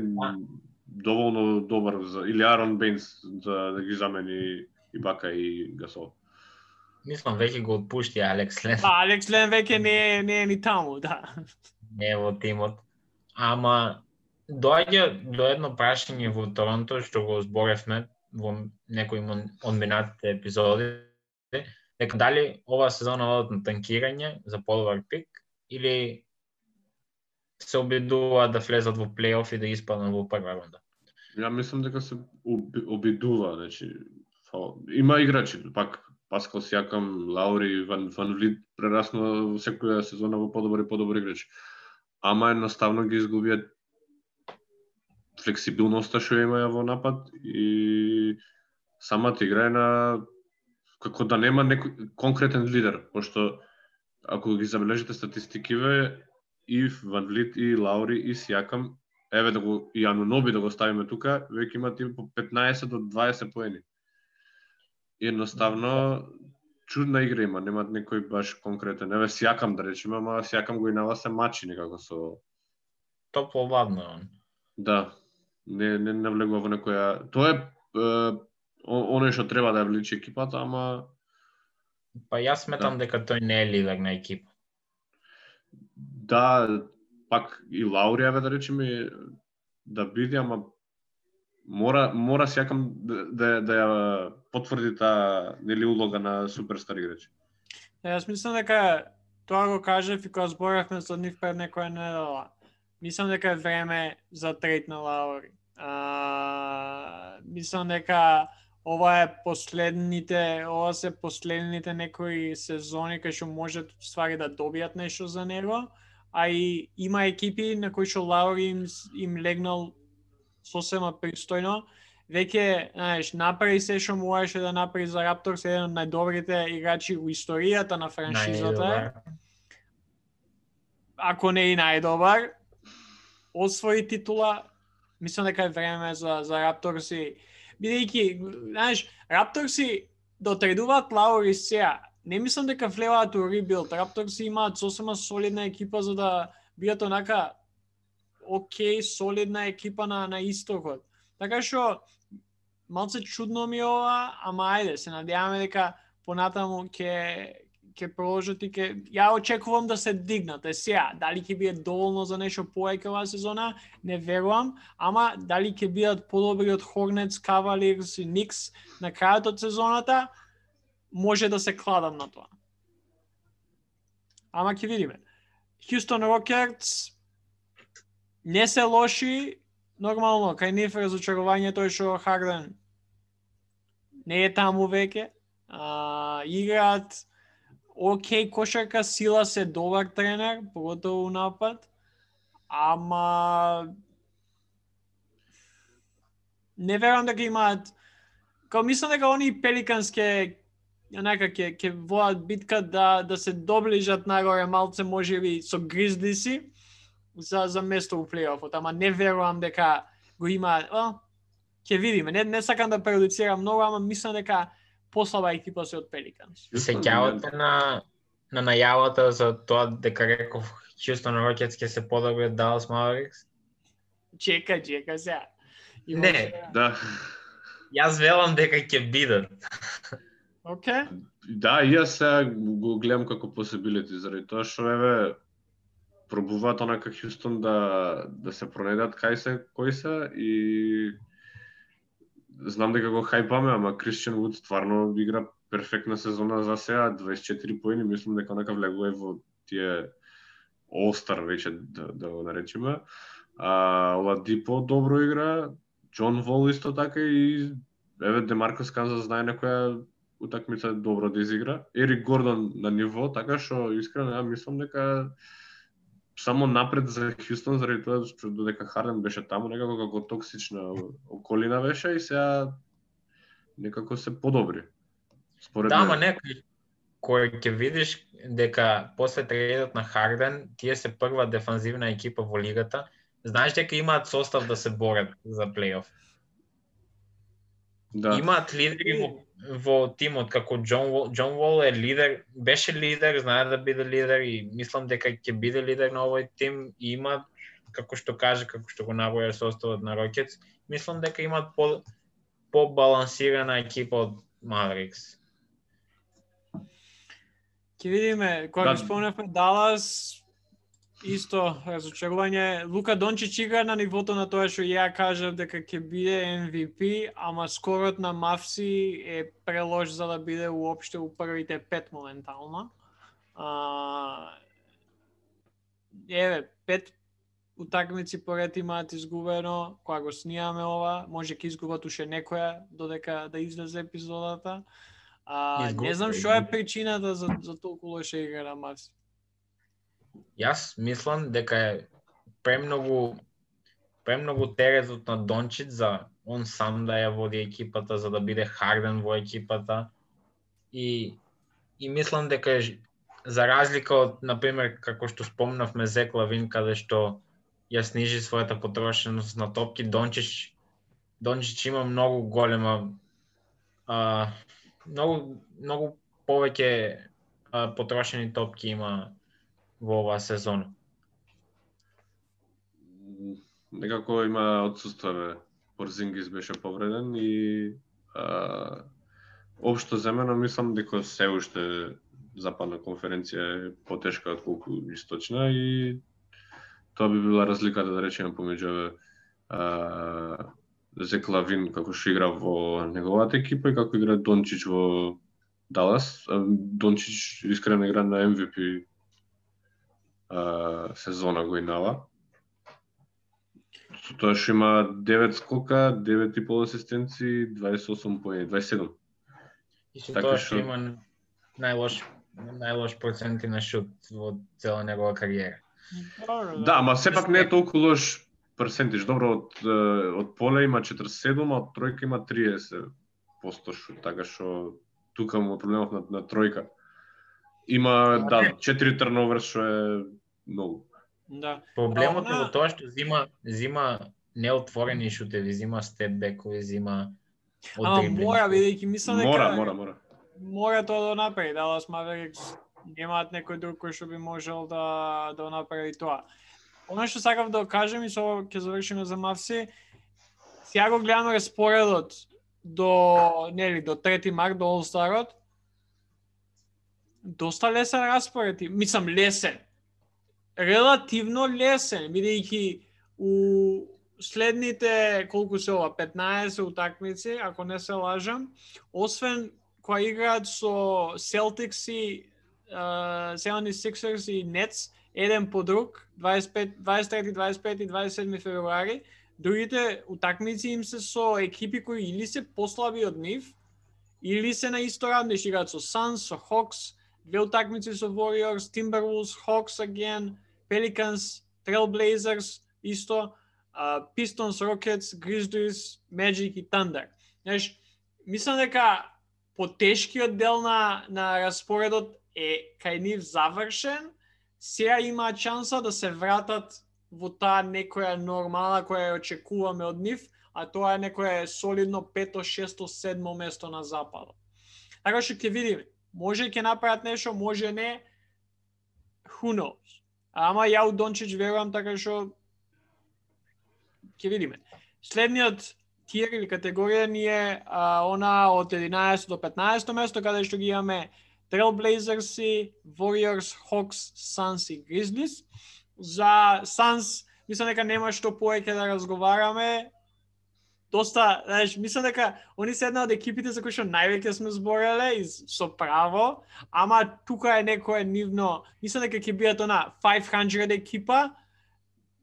доволно добар за, или Арон Бейнс за да ги замени и Бака и Гасол. Мислам, веќе го отпушти Алекс Лен. Па, Алекс Лен веќе не е, не е ни таму, да. Не е во тимот. Ама доаѓа до едно прашање во Торонто што го зборевме во некои од минатите епизоди, дека дали ова сезона одат на танкирање за подобар пик или се обидуваат да влезат во плейоф и да испаднат во прва рунда. Ја мислам дека се обидува, значи има играчи, пак Паскал Сијакам, Лаури, Ван Ван Влит прераснува секоја сезона во подобри подобри играчи. Ама едноставно ги изгубија флексибилноста што имаја во напад и самата игра е на како да нема некој конкретен лидер, пошто ако ги забележите статистикиве и Ван Влит и Лаури и Сијакам, еве да го и Ануноби да го ставиме тука, веќе имаат и по петнаесет до дваесет поени. Едноставно чудна игра има, немаат некој баш конкретен. Еве Сијакам да речеме, ама Сијакам го инава се мачи некако со топло ладно он. Да. Не не навлегува во некоја. Тоа е, е оној што треба да ја вличи екипата, ама па јас сметам да. дека тој не е лидер на екипа. Да, пак и Лаури еве да речеме да биде, ама мора мора Сијакам да да, да ја потврди таа нели улога на суперстар играч. Јас мислам дека тоа го кажав и кога зборевме за нив пред некоја недела. Мислам дека е време за трейд на Лаури. А, мислам дека ова е последните, ова се последните некои сезони кај што можат ствари да добијат нешто за него, а и има екипи на кои што Лаури им, им легнал сосема пристојно. Веќе, знаеш, направи се што можеше да направи за Рапторс, еден од најдобрите играчи во историјата на франшизата. Ако не и најдобар, освои титула. Мислам дека е време за за Рапторси, бидејќи, знаеш, Рапторси да отредуваат Лаури сега. Не мислам дека влеваат у ребилд. Рапторси имаат сосема солидна екипа за да бидат онака окей, солидна екипа на на истокот. Така што малце чудно ми ова, ама ајде, се надеваме дека понатаму ќе ќе продолжат и ќе ја очекувам да се дигнат. Е сега, дали ќе биде доволно за нешто повеќе оваа сезона, не верувам, ама дали ќе бидат подобри од Hornets, Cavaliers и Knicks на крајот од сезоната, може да се кладам на тоа. Ама ќе видиме. Houston Rockets не се лоши, нормално, кај нив разочарување тој што Харден не е таму веќе. А, играат окей кошарка, сила се добар тренер, поготово у напад, ама не верувам дека имаат, као мислам дека они Пеликанс ке онака ќе ќе водат битка да да се доближат нагоре малце можеби со Гризлиси за за место у плейофот, ама не верувам дека го има, а, ќе видиме. Не не сакам да прejudicирам многу, ама мислам дека послаба екипа се од Пеликанс. Се ќавате на на најавата за тоа дека реков Хјустон Рокетс ќе се подобри од Далас Маверикс? Чека, чека сега. Има Не, се- Да. Јас велам дека ќе бидат. Окей. Да, и јас сега го гледам како possibility, заради тоа што еве пробуваат онака Хјустон да да се пронедат кај се, кои се и знам дека го хајпаме, ама Кристијан Вуд стварно игра перфектна сезона за сега, дваесет и четири поени, мислам дека онака влегува во тие All-Star веќе да, да го наречеме. А Ладипо добро игра, Џон Вол исто така и еве Демаркус Канзас знае некоја утакмица добро да изигра. Ерик Гордон на ниво, така што искрено ја мислам дека само напред за Хјустон, заради тоа што додека Харден беше таму, некако како токсична околина беше и сега некако се подобри. Според Да, ама мене. некој кој ќе видиш дека после трейдот на Харден, тие се прва дефанзивна екипа во лигата, знаеш дека имаат состав да се борат за плейоф. Да. Имаат лидери во, во тимот, како Џон Вол. Џон Вол е лидер, беше лидер, знае да биде лидер и мислам дека ќе биде лидер на овој тим и има, како што каже, како што го наброја составот на Рокетс, мислам дека имаат по по-балансирана екипа од Маверикс. Ќе видиме, кога Да. ги спомнавме Далас, исто разочарување. Лука Дончич игра на нивото на тоа што ја кажав дека ќе биде Ем Ви Пи, ама скорот на Мавси е прелош за да биде уопште у првите пет моментално. А, еве, пет утакмици поред имаат изгубено, кога го снимаме ова, може ќе изгубат уште некоја додека да излезе епизодата. А, Изгуб- не знам што е причината за, за толку лоша игра на Мавси. Јас мислам дека е премногу премногу теретот на Дончич за он сам да ја води екипата, за да биде Харден во екипата. И и мислам дека е, за разлика од, например, како што спомнавме Зек Лавин, каде што ја снижи својата потрошеност на топки, Дончич Дончич има многу голема а, многу многу повеќе а, потрошени топки има во оваа сезона. Некако има отсуствие. Порзингис беше повреден и а, општо земено мислам дека се уште западна конференција е потешка од колку источна и тоа би била разликата, да речеме, помеѓу а, Зек Лавин како што игра во неговата екипа и како игра Дончич во Далас. Дончич искрено игра на Ем Ви Пи а, сезона годинава. Со тоа што има девет скока, девет и пол асистенции, дваесет и осум поени, дваесет и седум. И со Така тоа што- што има најлош најлош проценти на шут во цела негова кариера. Да, ама сепак не е толку лош перцентиж. Добро, од, е, од поле има четиридесет и седум, а од тројка има триесет проценти шут, така што тука му е проблемот на, на тројка. Има, да, четири турновер што е многу. Да. Проблемот е Она- во тоа што зима зима неотворени шутеви, зима степбекови, зима од Ама дриблинг. мора, бидејќи мислам дека Мора, мора, мора. мора тоа да направи. Далас Маверикс немаат некој друг кој што би можел да да направи тоа. Оно што сакав да кажем и со ова ќе завршиме за Мавси. Сега го гледаме распоредот до нели до трети март до All-Starот. Доста лесен распоред, и- мислам лесен. Релативно лесен, бидејќи у следните колку се ова петнаесет утакмици, ако не се лажам, освен кога играат со Celtics и uh, седемдесет и шестерс и Nets еден по друг, дваесет и пет, дваесет и трети, дваесет и пети и дваесет и седми февруари, другите утакмици им се со екипи кои или се послаби од нив, или се на исто равни, што играат со Suns, со Hawks, две утакмици со Warriors, Timberwolves, Hawks again, Pelicans, Trailblazers, исто, uh, Pistons, Rockets, Grizzlies, Magic и Thunder. Знаеш, мислам дека потешкиот дел на, на распоредот е кај нив завршен, сега има шанса да се вратат во таа некоја нормала која ја очекуваме од нив, а тоа е некое солидно пето, шесто, седмо место на западот. Така што ќе видиме. Може ќе направат нешто, може не. Who knows? Ама ја у Дончич верувам, така што ќе видиме. Следниот тиер или категорија ни е а, она од единаесетто до петнаесетто место, каде што ги имаме Trailblazers, Warriors, Hawks, Suns и Grizzlies. За Suns, мислам дека нема што повеќе да разговараме. Доста, знаеш, мислам дека они се една од екипите за кои што највеќе сме збореле и со право, ама тука е некое нивно, мислам дека ќе бидат она петстотина екипа,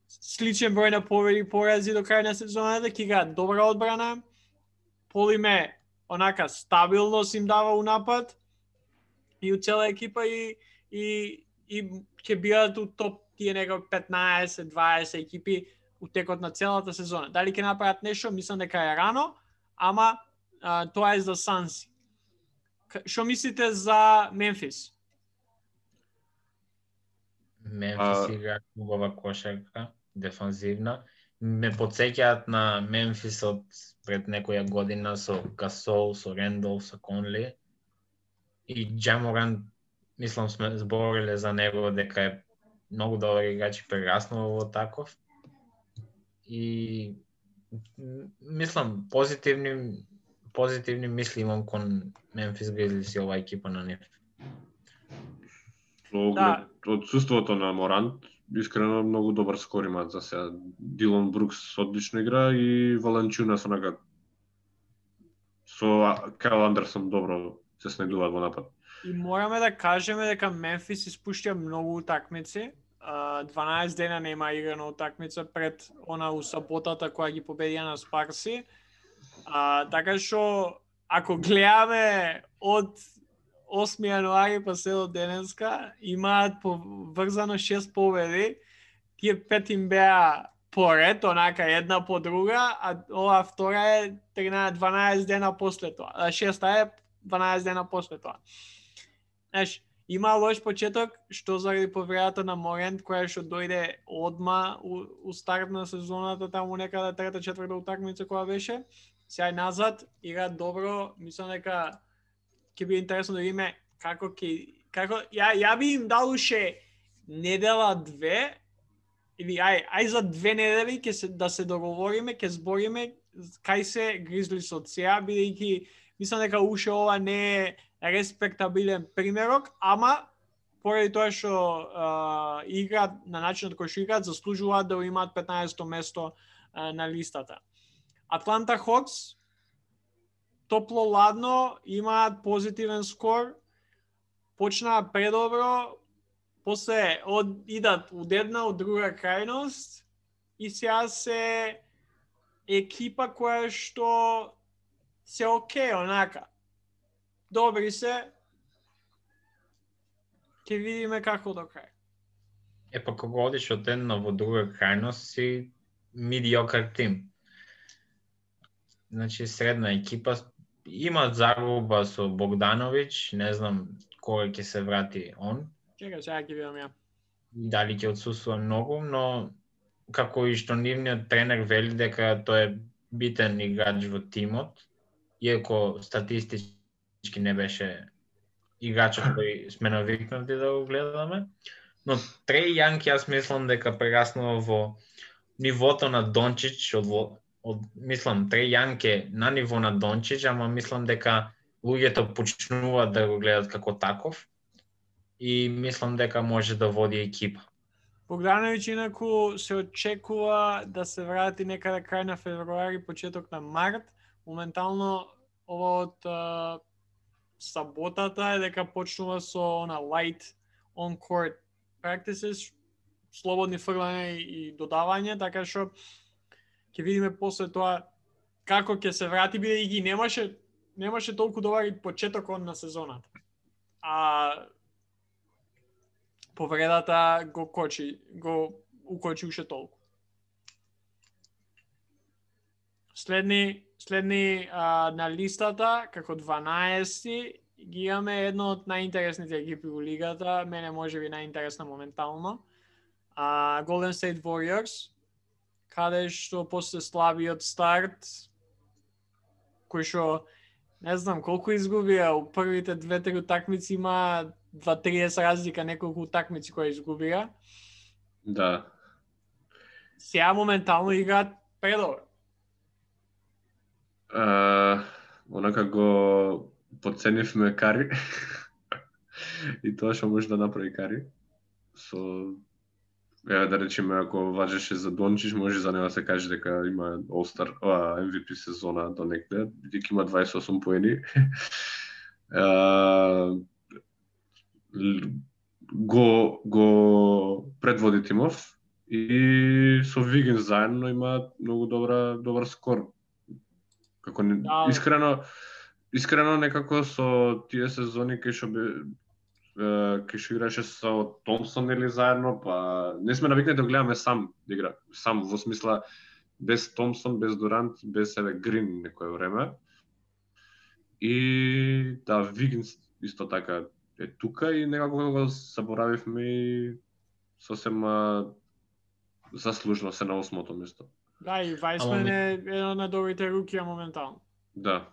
сличен број на победи и порази до крај на сезоната, ќе играат добра одбрана, Полиме онака стабилност им дава у напад и у цела екипа и и и ќе бидат у топ тие некои петнаесет дваесет екипи у текот на целата сезона. Дали ќе направат нешто, мислам дека е рано, ама а, тоа е за Санси. Што мислите за Мемфис? Мемфис игра убава кошарка, дефанзивна. Ме потсеќаат на Мемфис од пред некоја година со Гасол, со Рендол, со Конли. И Ja Morant, мислам сме збориле за него дека е многу добар играч и прераснува во таков. И мислам позитивни позитивни мисли имам кон Мемфис Гризлис и оваа екипа на нив. Со оглед одсуството на Морант, искрено многу добар скор имаат за сега. Дилон Брукс одлично игра и Валанчунас онака со Кайл Андерсон добро се снајдуваат во напад. И мораме да кажеме дека Мемфис испуштија многу утакмици. дванаесет дена нема играна утакмица пред она у саботата која ги победија на Спарси. А, така што ако гледаме од осми јануари па се до денеска, имаат поврзано шест победи. Тие пет им беа поред, онака една по друга, а ова втора е дванаесет дена после тоа. Шеста е дванаесет дена после тоа. Знаеш, има лош почеток, што заради повредата на Морент, која што дојде одма у, у старт на сезоната, таму некаде трета, четврта утакмица која беше. Сега назад, игра добро, мислам дека ќе биде интересно да видиме како ќе како ја ја би им дал уште недела две или ај ај за две недели ќе се да се договориме, ќе збориме кај се Гризлис од сега, бидејќи мислам дека уште ова не е респектабилен примерок, ама поради тоа што uh, играат на начинот кој што играат, заслужуваат да имаат петнаесетто место uh, на листата. Атланта Хокс топло ладно, имаат позитивен скор, почнаа предобро, после од идат од една од друга крајност и сега се екипа која што се окей, онака. Добри се. Ќе видиме како до крај. Е, па кога одиш од една во друга крајност си медиокар тим. Значи средна екипа, имаат загуба со Богдановиќ, не знам кога ќе се врати он. Чека, сега ќе видам ја. Дали ќе отсуствува многу, но како и што нивниот тренер вели дека тој е битен играч во тимот, иако статистички не беше играчот кој сме навикнати да го гледаме, но Треј Јанг јас мислам дека прераснува во нивото на Дончич од од мислам Треј Јанг е на ниво на Дончич, ама мислам дека луѓето почнуваат да го гледат како таков и мислам дека може да води екипа. Богдановиќ инаку се очекува да се врати некаде крај на февруари, почеток на март. Моментално ова од а, саботата е дека почнува со на light on court practices, слободни фрлања и додавање, така што ќе видиме после тоа како ќе се врати, бидејќи немаше немаше толку добар и почетокот на сезоната. А повредата го кочи, го укочи уште толку. Следни, следни а, на листата, како дванаести, ги имаме едно од најинтересните екипи во лигата, мене може би најинтересна моментално. А, Golden State Warriors, каде што после слабиот старт, кој што не знам колку изгубија, у првите две-три утакмици има два-триесет разлика, неколку утакмици кои изгубија. Да. Сега моментално играат предобро. Uh, онака го подценивме Кари и тоа што може да направи Кари. Со еве да речеме ако важеше за Дончич, може за него да се каже дека има All-Star, а, Ем Ви Пи сезона до некаде, бидејќи има дваесет и осум поени. uh, го го предводи тимов и со Вигин заедно има многу добра добар скор. Како не, Да. искрено искрено некако со тие сезони кај што бе кај што играше со Томпсон или заедно, па не сме навикнати да гледаме сам да игра, сам во смисла без Томпсон, без Дурант, без еве Грин некое време. И да, Вигинс исто така е тука и некако го заборавивме и сосема заслужно се на осмото место. Да, и Вајсмен е еден од добрите рукија моментално. Да.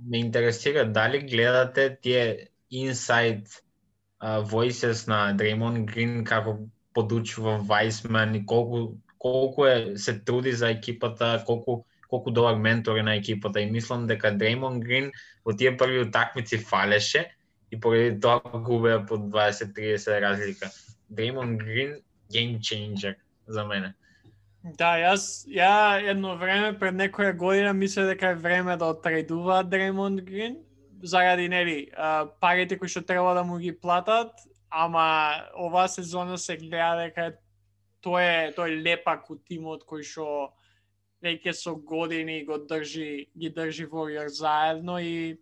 Ме интересира дали гледате тие inside uh, voices на Дреймонд Грин како подучува Вајсмен и колку колку е се труди за екипата, колку колку добар ментор е на екипата и мислам дека Дреймонд Грин во тие први утакмици фалеше и поради тоа губеа по дваесет-триесет разлика. Дреймонд Грин game changer за мене. Да, јас ја едно време пред некоја година мислев дека е време да отредува Дреймонд Грин заради нели парите кои што треба да му ги платат, ама оваа сезона се гледа дека тој е тој лепак у тимот кој што веќе со години го држи ги држи Warriors заедно и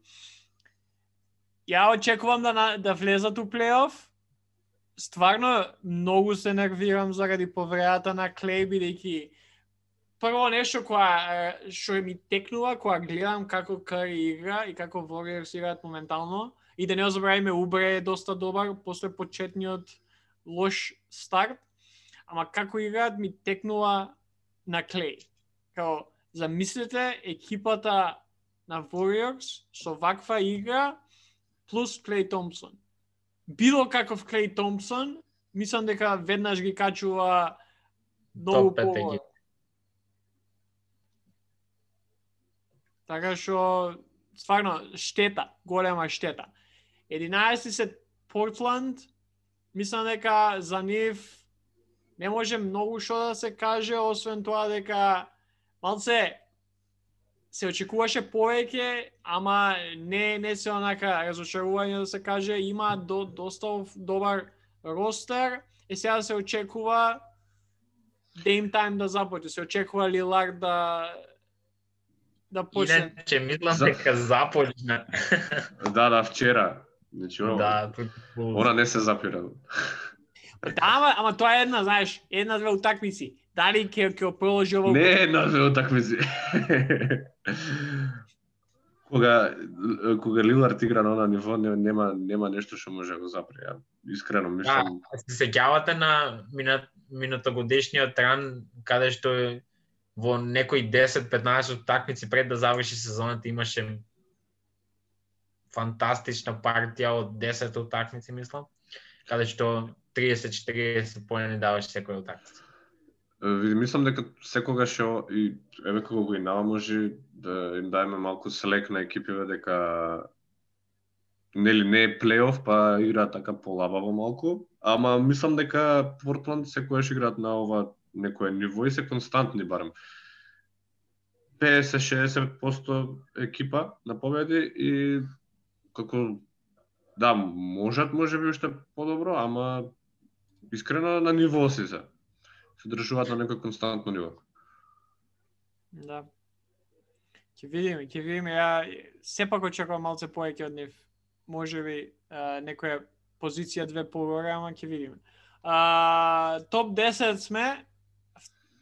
ја очекувам да да влезат у плейоф. Стварно многу се нервирам заради повредата на Клеј, бидејќи прво нешто која што ми текнува кога гледам како Кари игра и како Warriors играат моментално и да не забравиме Убре е доста добар после почетниот лош старт, ама како играат ми текнува на Клеј. Као замислете екипата на Warriors со ваква игра плюс Клеј Томпсон. Било каков Клеј Томпсон, мислам дека веднаш ги качува многу по... Така што, стварно, штета, голема штета. единаесети се Портланд, мислам дека за нив не може многу што да се каже, освен тоа дека малце се очекуваше повеќе, ама не не се онака разочарување да се каже, има до, доста добар ростер и сега се очекува Dame Time да започне, се очекува Лилард да да почне. Иначе мислам дека започна. Да, да, вчера. Значи, да, она не се запира. Да, ама, ама тоа е една, знаеш, една-две утакмици. Дали ќе ќе продолжи ово? Не една-две утакмици. Кога кога Лилард игра на она ниво, нема нема нешто што може да го запре. Искрено мислам. Да, се сеќавате на минат минатогодишниот ран каде што во некои десет-петнаесет утакмици пред да заврши сезоната имаше фантастична партија од десет утакмици, мислам, каде што триесет-четириесет поени даваше секоја утакмица. Види, мислам дека секогаш и еве кога го инава може да им даеме малку слек на екипиве дека нели не е плейоф, па играат така полабаво малку, ама мислам дека Портланд секогаш играат на ова некое ниво и се константни барем. петдесет-шеесет проценти екипа на победи и како да, можат можеби уште подобро, ама искрено на ниво си се. Се држуваат на некој константно ниво. Да. Ќе видиме, ќе видиме. Ја сепак очекувам малце повеќе од нив. Можеби некоја позиција две погоре, ама ќе видиме. А, топ десет сме,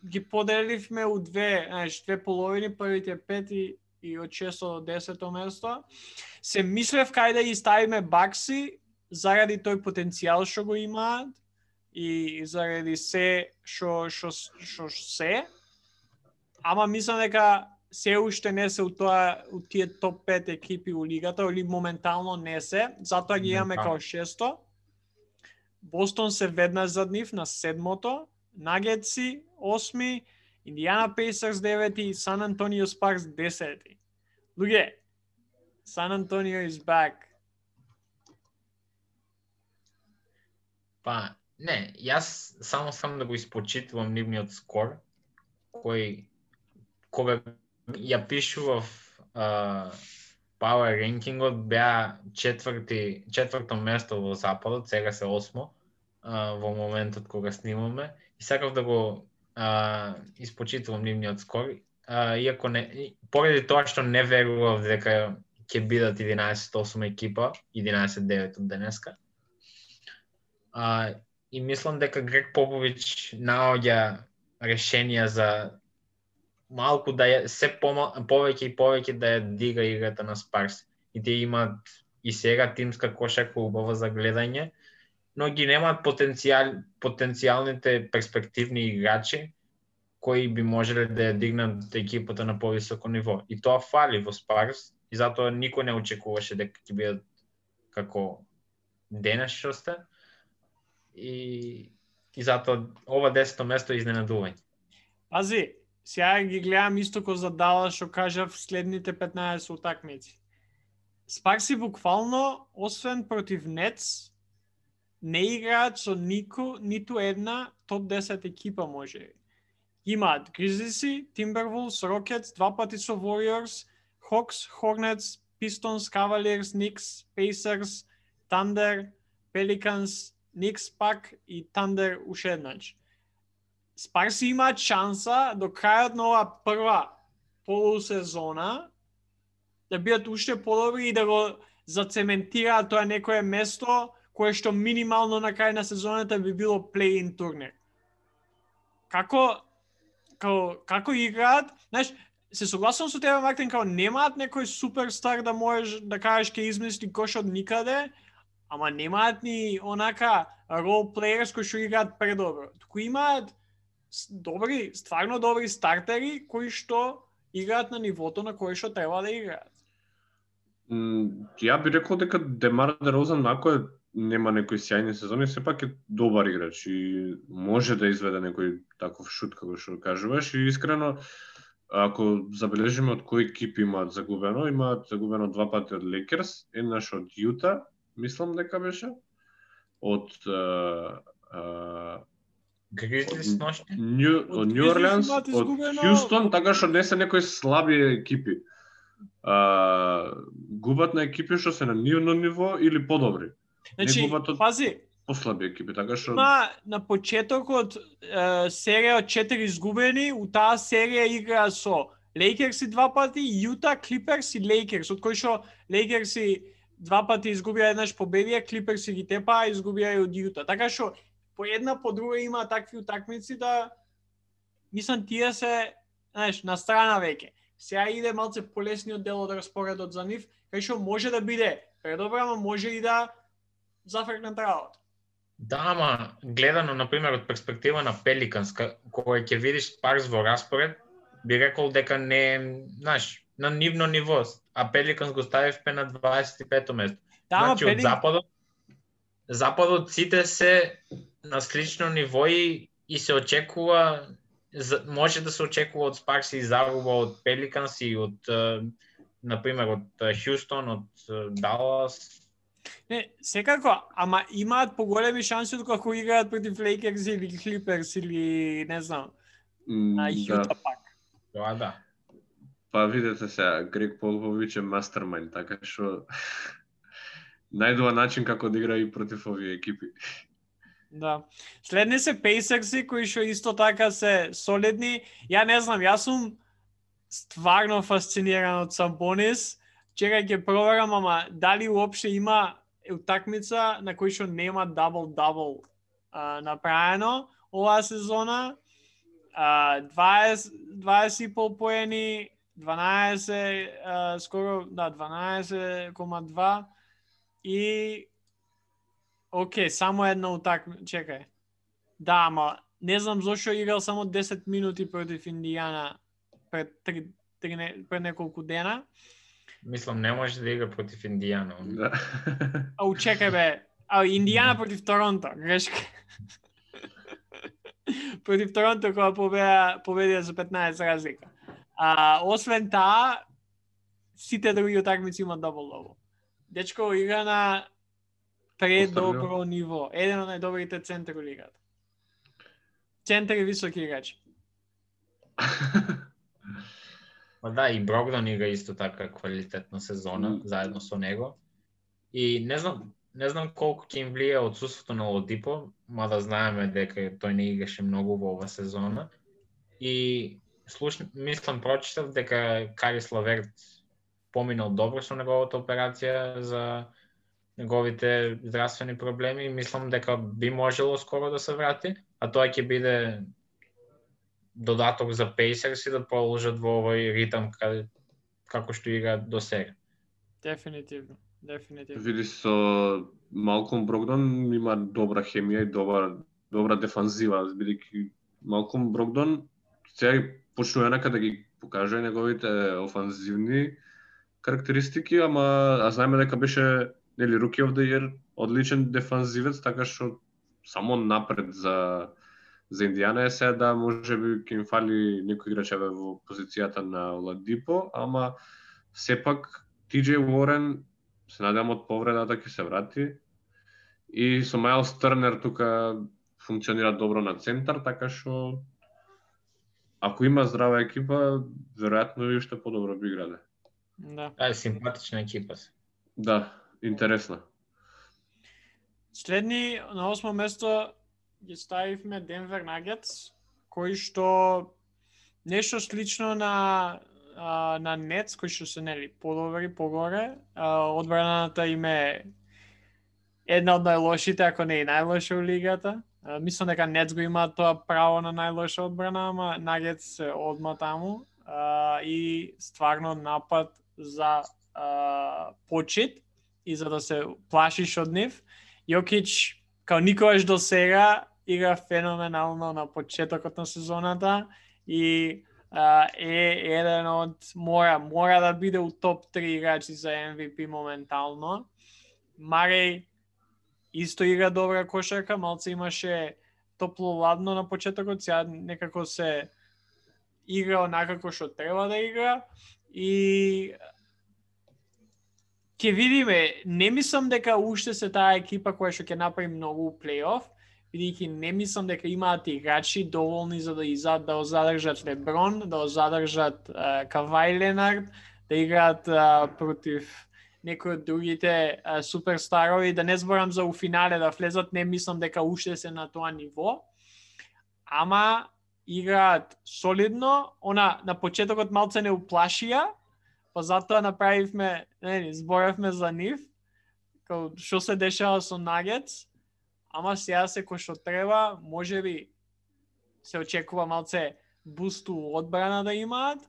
ги поделивме у две, знаеш, две половини, првите пет и, и од шесто до десето место. Се мислев кај да ги ставиме Бакси заради тој потенцијал што го имаат и заради се што што што се. Ама мислам дека се уште не се у тоа у тие топ пет екипи у лигата, или моментално не се, затоа ги имаме као шесто. Бостон се веднаш зад нив на седмото, Нагетси осми, Индиана Пейсерс девети, Сан Антонио Спаркс десети. Луѓе, Сан Антонио is back. Па, не, јас само сам да го испочитувам нивниот скор, кој кога ја пишував uh, Power Rankingот беа четврти, четврто место во Западот, сега се осмо uh, во моментот кога снимаме. И сакав да го uh, испочитувам нивниот скор, uh, иако не, поради тоа што не верував дека ќе бидат единаесет осум екипа, единаесет девет од денеска. Uh, и мислам дека Грег Попович наоѓа решенија за малку да ја, се повеќе и повеќе да ја дига играта на Спарс. И те имаат и сега тимска кошарка убава за гледање, но ги немаат потенцијал, потенцијалните перспективни играчи кои би можеле да ја дигнат екипата на повисоко ниво. И тоа фали во Спарс, и затоа никој не очекуваше дека ќе бидат како денес што сте. И, и затоа ова десето место е изненадување. Пази, сега ги гледам исто ко за Далас што кажав следните петнаесет утакмици. Спарси буквално, освен против Нетс, не играат со нико, ниту една топ десет екипа може. Имаат Гризлиси, Тимбервулс, Рокетс, два пати со Warriors, Hawks, Hornets, Pistons, Cavaliers, Knicks, Pacers, Thunder, Pelicans, Knicks пак и Thunder уште еднаш. Спарси имаат шанса до крајот на оваа прва полусезона да бидат уште подобри и да го зацементираат тоа некое место кое што минимално на крај на сезоната би било плей-ин турнир. Како како како играат, знаеш, се согласувам со тебе, Мартин, како немаат некој суперстар да можеш да кажеш ќе измисли кош од никаде, ама немаат ни онака рол плеерс кои што играат предобро. Туку имаат добри, стварно добри стартери кои што играат на нивото на кое што треба да играат. Mm, ја би рекол дека Демар Дерозан, ако е, нема некои сјајни сезони, сепак е добар играч и може да изведе некој таков шут како што кажуваш. И искрено, ако забележиме од кои екипи имаат загубено, имаат загубено два пати од Лейкерс, еднаш од Јута, мислам дека беше, од Гризлис ношти, од Нью Орлеанс, од Хјустон, така што не се некои слаби екипи. А, губат на екипи што се на нивно ниво или подобри. Значи, не губат од пази, послаби екипи, така што на, на почетокот е, серија од четири изгубени, у таа серија игра со Лейкерси два пати, Јута, Клиперс и Лейкерс, од кои што Лейкерси два пати изгубија, еднаш победија, Клиперси ги тепаа, изгубија и од Јута. Така што по една по друга има такви утакмици да мислам тие се, знаеш, на страна веќе. Сега иде малце полесниот дел од распоредот за нив, кај што може да биде предобро, ама може и да зафркнат работа. Да, ама гледано, например, од перспектива на Пеликанс, кога ќе видиш Спарс во распоред, би рекол дека не, знаеш, на нивно ниво, а Пеликанс го ставивме на дваесет и пето место. Да, значи, Пелик... од Западот, Западот сите се на слично ниво и, и се очекува, може да се очекува од Спарс и загуба од Пеликанс и од, например, од Хјустон, од Далас. Не, секако, ама имаат поголеми шанси доколку играат против Лейкерс или Клиперс или не знам, на Јута да. Пак. Тоа да. Па видете сега, Грег Попович е мастермајнд, така што најдува начин како да игра и против овие екипи. Да. Следни се Пейсерси кои што исто така се солидни. Ја не знам, јас сум стварно фасциниран од Сабонис. Чекај ќе проверам, ама дали уопште има утакмица на кој што нема дабл-дабл направено оваа сезона. Uh, дваесет, дваесет и пол поени, дванаесет, uh, скоро, да, дванаесет кома два и окей, само една утакмица, чекај. Да, ама не знам зошто играл само десет минути против Индијана пред, три, три, пред неколку дена. Мислам, не може да игра против Индијана. Да. Ау, чекај бе. Ау, Индијана против Торонто, грешка. Против Торонто кога победа, победија за петнаесет разлика. А, освен таа, сите други утакмици имаат дабл-дабл. Дечко игра на предобро ниво. Еден од најдобрите центри во лигата. Центри високи играчи. Ма да, и Брогдон игра исто така квалитетна сезона, mm. заедно со него. И не знам, не знам колку ќе им влие отсуството на Оладипо, мада знаеме дека тој не играше многу во ова сезона. И слуш, мислам, прочитав дека Карис Леверт поминал добро со неговата операција за неговите здравствени проблеми. Мислам дека би можело скоро да се врати, а тоа ќе биде додаток за Пейсерс и да продолжат во овој ритам како што играат до сега. Дефинитивно. Дефинитивно. Види со Малком Брогдон има добра хемија и добра добра дефанзива, бидејќи Малком Брогдон сега почнува некаде да ги покаже неговите офанзивни карактеристики, ама а знаеме дека беше нели Rookie of the Year, одличен дефанзивец, така што само напред за за Индијана е сега да можеби ќе им фали некој играч во позицијата на Оладипо, ама сепак Ти Џеј Уорен се надевам од повредата ќе се врати. И со Майлс Тернер тука функционира добро на центар, така што ако има здрава екипа, веројатно и уште подобро би играле. Да. Е, симпатична екипа се. Да, интересна. Следни на осмо место ги ставивме Денвер Нагетс, кои што нешто слично на а, на Нетс, кои што се нели подобри погоре. А, одбраната им е една од најлошите, ако не и најлоша во лигата. А, мислам дека Нетс го имаат тоа право на најлоша одбрана, ама Нагетс се одма таму а, и стварно напад за а, почит и за да се плашиш од нив. Јокич као никогаш до сега игра феноменално на почетокот на сезоната и а, е еден од мора мора да биде у топ три играчи за Ем Ви Пи моментално. Мареј исто игра добра кошарка, малце имаше топло-ладно на почетокот, сега некако се игра онакако што треба да игра и ќе видиме. Не мислам дека уште се таа екипа која што ќе направи многу плейоф, бидејќи не мислам дека имаат играчи доволни за да изад да задржат Леброн, да задржат uh, Кавај Ленард, да играат uh, против некои од другите uh, суперстарови, да не зборам за у финале да влезат, не мислам дека уште се на тоа ниво. Ама играат солидно, она на почетокот малце не уплашија, па затоа направивме, не, зборавме за нив, као што се дешава со Нагетс, ама сега се кој што треба, можеби се очекува малце бусту одбрана да имаат,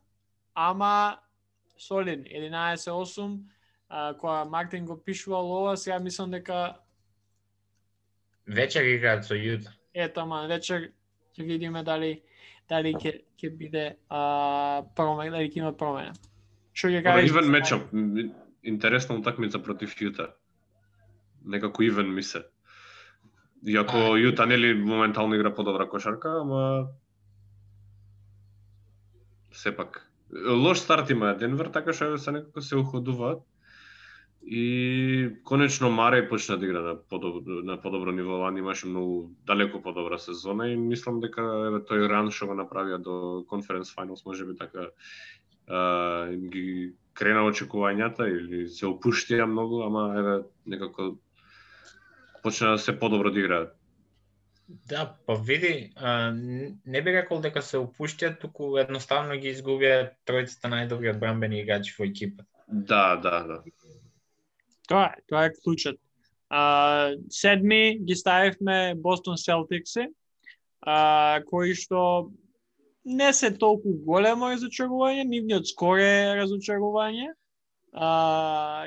ама солидни, единаесет осум, кога Мартин го пишувал ова, сега мислам дека вечер играат со Јута. Ето, ама вечер ќе видиме дали дали ќе ќе биде а, промена, дали ќе има промена. Што ќе кажеш? Ивен мечап, интересна утакмица против Јута. Некако ивен ми се. Иако Јута нели моментално игра подобра кошарка, ама сепак лош старт има Денвер, така што се некако се уходуваат. И конечно Мареј почна да игра на подобро, на подобро ниво, лани имаше многу далеко подобра сезона и мислам дека еве тој ран што го направија до Conference Finals можеби така а, им ги крена очекувањата или се опуштија многу, ама еве некако почна да се подобро да играат. Да, па види, а, не би рекол дека се опуштиат, туку едноставно ги изгубија тројцата најдобри одбранбени играчи во екипа. Да, да, да. Тоа е, тоа е клучот. А, седми ги ставивме Бостон Селтикси, а, кои што не се толку големо разочарување, нивниот скор е разочарување. А,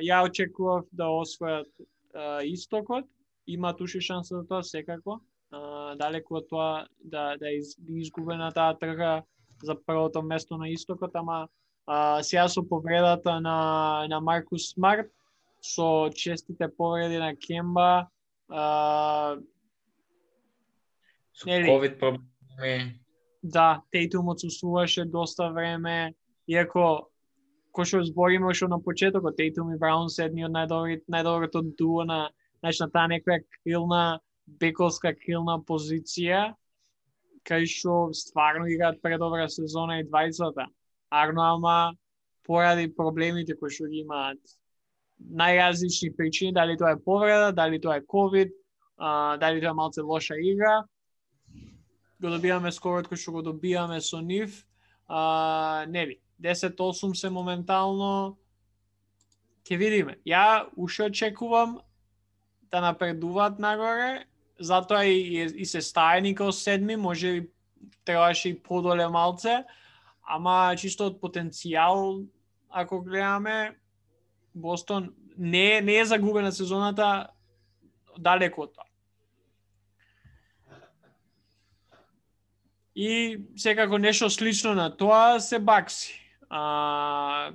ја очекував да освојат а, истокот, имаат уште шанса за тоа секако. Uh, далеку од тоа да, да из, изгубе на таа трка за првото место на истокот, ама uh, сега со повредата на, на Маркус Смарт, со честите повреди на Кемба, uh, со ковид проблеми. Да, Тейтум отсуствуваше доста време, иако кој што збориме што на почетокот, Тейтум и Браун се едни од најдоброто дуо на, значи на таа некоја крилна бековска крилна позиција, кај што стварно играат предобра сезона и двајцата. Арно, ама поради проблемите кои што ги имаат најразлични причини, дали тоа е повреда, дали тоа е ковид, а, дали тоа е малце лоша игра, го добиваме скорот кој што го добиваме со нив. А, нели, десет осум се моментално, ќе видиме. Ја уште очекувам да напредуваат нагоре, затоа и, и, и се стаени као седми, може и требаше и подоле малце, ама чисто од потенцијал, ако гледаме, Бостон не, не е загубена сезоната далеко од тоа. И секако нешто слично на тоа се Бакси. А...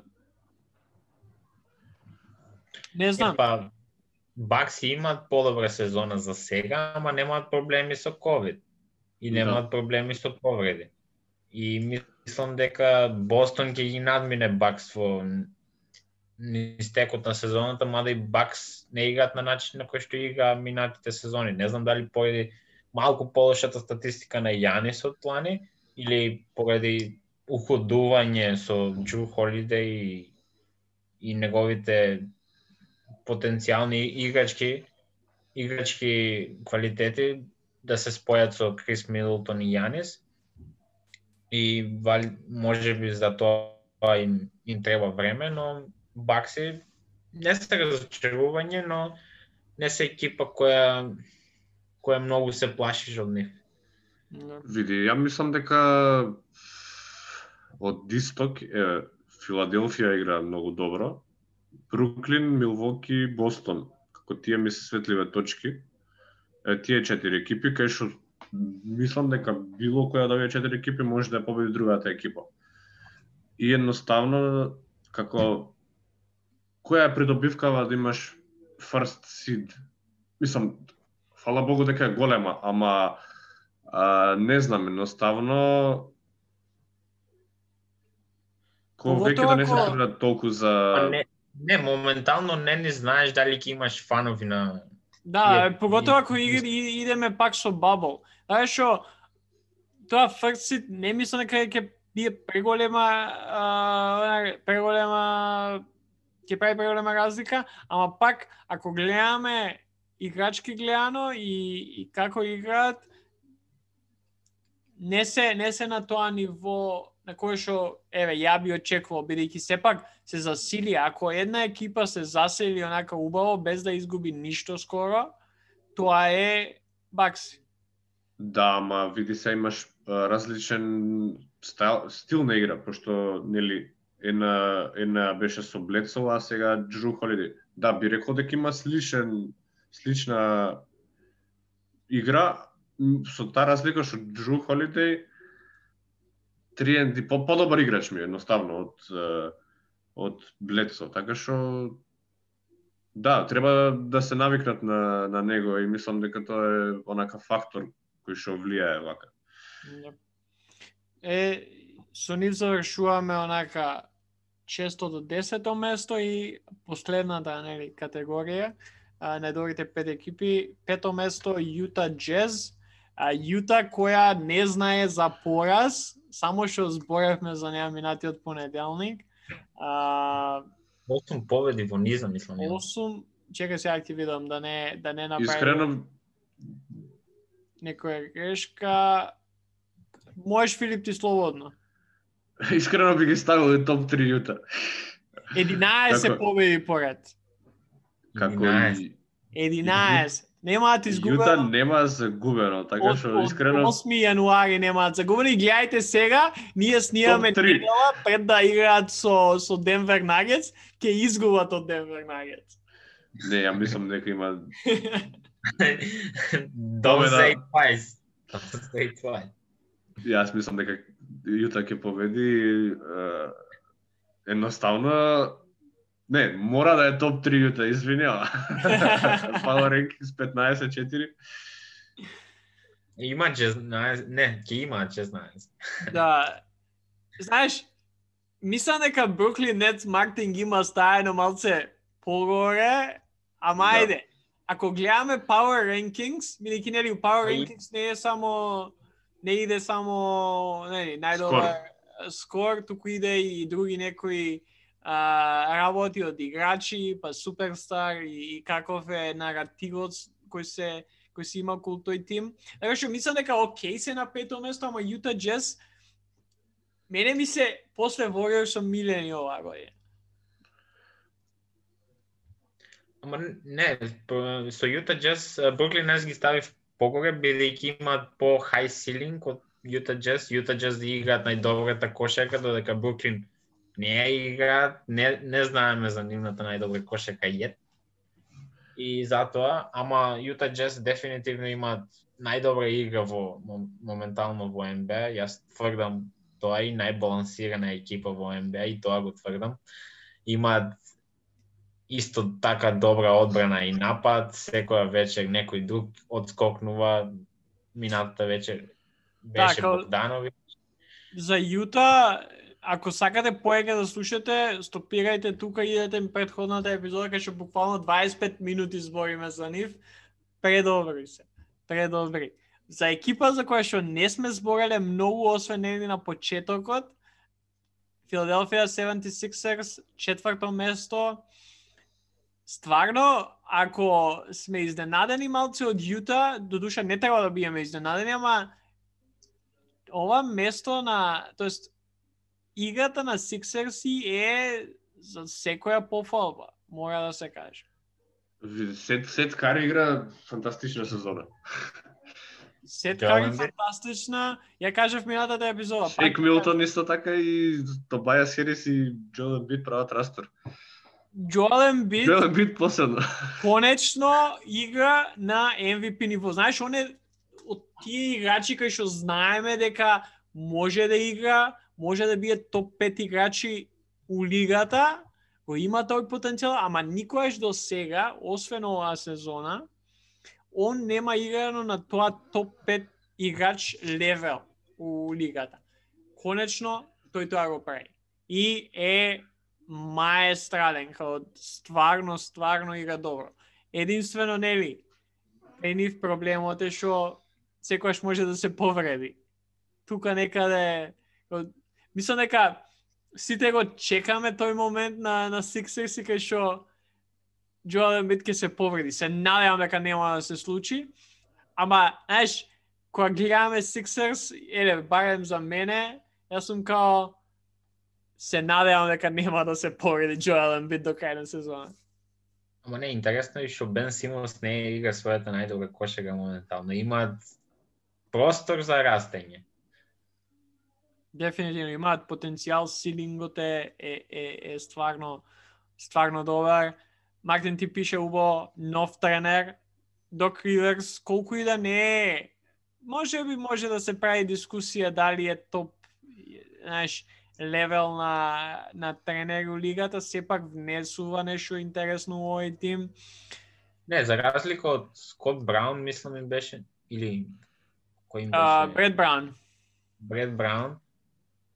Не знам. Епа, Бакси имаат подобра сезона за сега, ама немаат проблеми со ковид и немаат да. проблеми со повреди. И мислам дека Бостон ќе ги надмине Бакс во истекот на сезоната, мада и Бакс не играат на начин на кој што игра минатите сезони. Не знам дали поради малку полошата статистика на Јанис од плани или поради уходување со Джру Холидеј и, и неговите потенцијални играчки играчки квалитети да се спојат со Крис Мидлтон и Јанис. И може би за тоа им, им треба време, но Бакси не се разочарување, но не се екипа која која многу се плашиш од нив. Види, ја мислам дека од исток е, Филаделфија игра многу добро. Бруклин, Милвоки, Бостон, како тие ми се светливе точки. Е, тие четири екипи, кај што мислам дека било која од овие четири екипи може да ја победи другата екипа. И едноставно, како која е придобивкава да имаш first seed? Мислам, фала Богу дека е голема, ама а, не знам, едноставно кој веќе да не се трудат толку за... Не, не, моментално не ни знаеш дали ќе имаш фанови на... Да, е, поготово ако идеме пак со бабл. Знаеш што, тоа first seed не мислам дека ќе бие преголема, а, преголема, ќе прави преголема разлика, ама пак ако гледаме играчки гледано и, и како играат, не се не се на тоа ниво на кое што еве ја би очекувал, бидејќи сепак се засили, ако една екипа се засили онака убаво без да изгуби ништо скоро, тоа е Бакси. Да, ама види се имаш а, различен стил, стил на игра, пошто нели една една беше со Блецел, а сега Джру Холидеј. Да, би рекол дека има сличен слична игра, со таа разлика што Джру Холидеј три енд ди по подобар играч ми едноставно од од Блецо, така што да, треба да се навикнат на на него и мислам дека тоа е онака фактор кој што влијае вака. Е, со нив завршуваме онака шесто до десето место и последната нели категорија, најдобрите пет екипи, пето место Јута Джез, а Јута која не знае за пораз, само што зборевме за неа минатиот понеделник. А, осум победи во низа, мислам. осум, чекај сега ќе видам да не да не направи. Искрено некоја грешка. Можеш, Филип, ти слободно. Искрено би ги ставил и топ три Јута. единаесет победи поред. Како и единаесет. Немаат изгубено. Јута нема загубено, така што искрено осми јануари немаат загубено и гледајте сега, ние снимаме Топ три. недела пред да играат со со Денвер Нагетс, ќе изгубат од Денвер Нагетс. Не, ја мислам дека има Don't say twice. Don't say twice. Јас мислам дека Јута ќе победи е, едноставно не, мора да е топ три Јута, извинјава. Power Rankings петнаесет четири. Има шеснаесет, не, ќе има шеснаесет. Да. Знаеш, мислам дека Бруклин Нетс маркетинг има стаено малце погоре, ама Да. ајде. Ако гледаме Power Rankings, бидејќи нели Power Ај. Rankings не е само не иде само нели најдобар скор, туку иде и други некои а, работи од играчи, па суперстар и, и каков е наративот кој се кој се има околу тој тим. Така што мислам дека окей се на пето место, ама Utah Jazz мене ми се после Warriors со милени оваа година. Ама не, по- со Utah Jazz Бруклин Нетс ги ставив погоре, бидејќи имаат по high ceiling од Utah Jazz. Utah Jazz да играат најдобрата кошарка, додека Бруклин не ја играат, не, не знаеме за нивната најдобра кошарка јет. И затоа, ама Utah Jazz дефинитивно имаат најдобра игра во мом- моментално во Н Б А. Јас тврдам тоа и најбалансирана екипа во Н Б А и тоа го тврдам. Имаат исто така добра одбрана и напад, секоја вечер некој друг одскокнува, минатата вечер беше Така, Богдановиќ. За Јута, ако сакате поега да слушате, стопирајте тука и идете ми претходната епизода, кај што буквално дваесет и пет минути збориме за нив. Предобри се. Предобри. За екипа за која што не сме збореле многу освен нели на почетокот, Филаделфија седемдесет и шест ерс, четврто место. Стварно, ако сме изненадени малце од Јута, додуша не треба да биеме изненадени, ама ова место на, тоест играта на Сиксерси е за секоја пофалба, мора да се каже. Сет, Сет Кари игра фантастична сезона. Сет Джоел Кари Ембид. фантастична, ја кажав минатата епизода. Шейк пак- Милтон исто така и Тобајас Херис и Джоел Ембид прават растор. Джоел Ембид Джоел Ембид последно. конечно игра на М В Пи ниво. Знаеш, он е од тие играчи кои што знаеме дека може да игра, може да биде топ пет играчи у лигата, го има тој потенцијал, ама никогаш до сега, освен оваа сезона, он нема играно на тоа топ пет играч левел у лигата. Конечно, тој тоа го прави. И е маестрален, као стварно, стварно игра добро. Единствено, нели, е нив проблемот е што секојаш може да се повреди. Тука некаде, као, мислам дека сите го чекаме тој момент на, на Sixers и кај што Джоел Ембид ќе се повреди. Се надевам дека нема да се случи. Ама, знаеш, кога гледаме Sixers, еле, барем за мене, јас сум као се надевам дека нема да се повреди Джоел Ембид до крај на сезона. Ама не, интересно е што Бен Симонс не игра својата најдобра кошарка моментално. Имаат простор за растење. Дефинитивно имаат потенцијал, силингот е, е, е, е стварно, стварно добар. Мартин ти пише убаво нов тренер, Док Риверс, колку и да не е, може би може да се прави дискусија дали е топ, знаеш, левел на, на тренер у лигата, сепак внесува нешто интересно во овој тим. Не, за разлика од Скот Браун, мислам им беше, или кој им беше? Uh, Бред Браун. Бред Браун.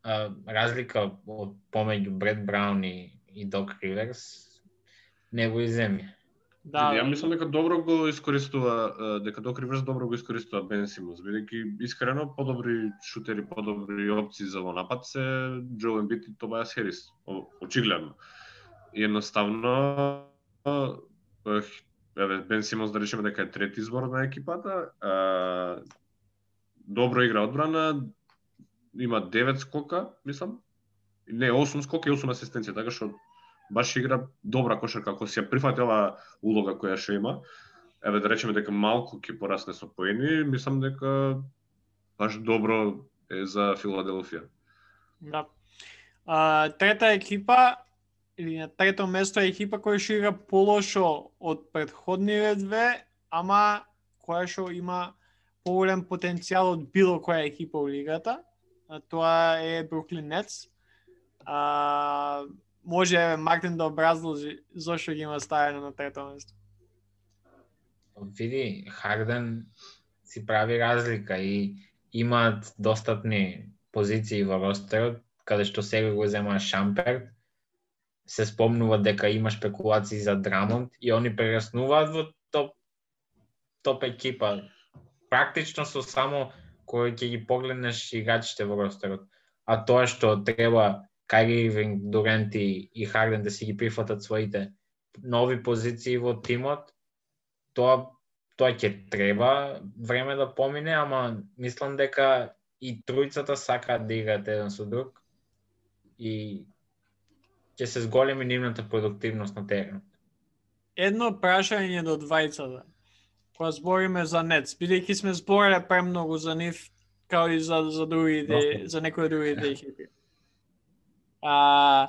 А, разлика од помеѓу Бред Браун и, и Док Риверс не го иземја. Да, Ја мислам дека добро го искористува, дека Док Риверс добро го искористува Бен Симонс, бидејќи искрено подобри шутери, подобри опции за во напад се Джоел Ембид и Тобајас Херис, о- очигледно. И едноставно еве Бен Симонс да речеме дека е трети избор на екипата, а, добро игра одбрана, има девет скока, мислам. Не, осум скока и осум асистенција, така што баш игра добра кошарка, ако си ја прифатила улога која што има. Еве да речеме дека малку ќе порасне со поени, мислам дека баш добро е за Филаделфија. Да. А, трета екипа или на трето место е екипа која што игра полошо од претходните две, ама која што има поголем потенцијал од било која екипа во лигата. А тоа е Бруклин Нетс. А, може Мартин да образложи зошто ги има ставено на трето место. Види, Харден си прави разлика и имаат достатни позиции во ростерот, каде што сега го зема Шамперт. Се спомнува дека има спекулации за Драмонд и они прераснуваат во топ топ екипа. Практично со само кој ќе ги погледнеш играчите во ростерот. А тоа што треба Кайри Ирвинг, Дурант и Харден да си ги прифатат своите нови позиции во тимот, тоа тоа ќе треба време да помине, ама мислам дека и тројцата сакаат да играат еден со друг и ќе се зголеми нивната продуктивност на теренот. Едно прашање до двајцата. Кога збориме за Нетс, бидејќи сме збореле премногу за нив, као и за за другите, за некои другите екипи. А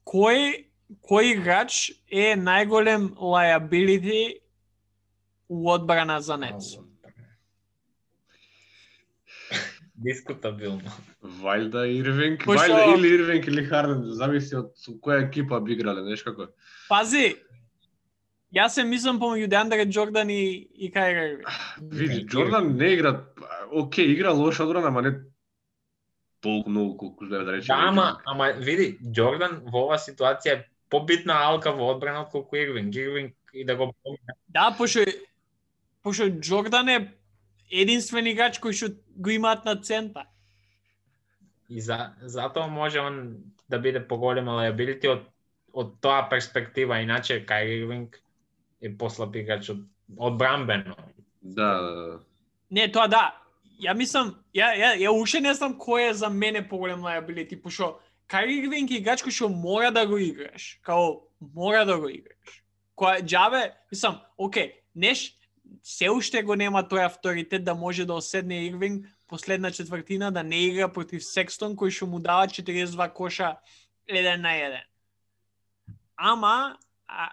кој кој играч е најголем liability у одбрана за Нетс? Дискутабилно. Вајда Ирвинг, Пошто... Вајда или Ирвинг или Харден, зависи од со која екипа би играле, знаеш како. Пази, јас се мислам помеѓу Деандре Џордан и, и Кайри Ирвинг. Види, Џордан не игра, окей, игра лоша одбрана, ама не толку многу колку да речеме. Да, ама, ама види, Џордан во оваа ситуација е побитна алка во одбрана од колку Ирвинг. Ирвинг и да го помине. Да, пошто пошто Џордан е единствен играч кој што го имаат на центар. И за затоа може он да биде поголема liability од од тоа перспектива, иначе Кайри Ирвинг е послаб играч од одбрамбено. Да. Не, тоа да. Ја мислам, ја ја ја уште не знам кој е за мене поголем liability, пошто Кайри Ирвинг е играч кој што мора да го играш, као мора да го играш. Која џабе, мислам, окей, неш се уште го нема тој авторитет да може да оседне Ирвинг последна четвртина да не игра против Секстон кој што му дава четириесет и два коша еден на еден. Ама а,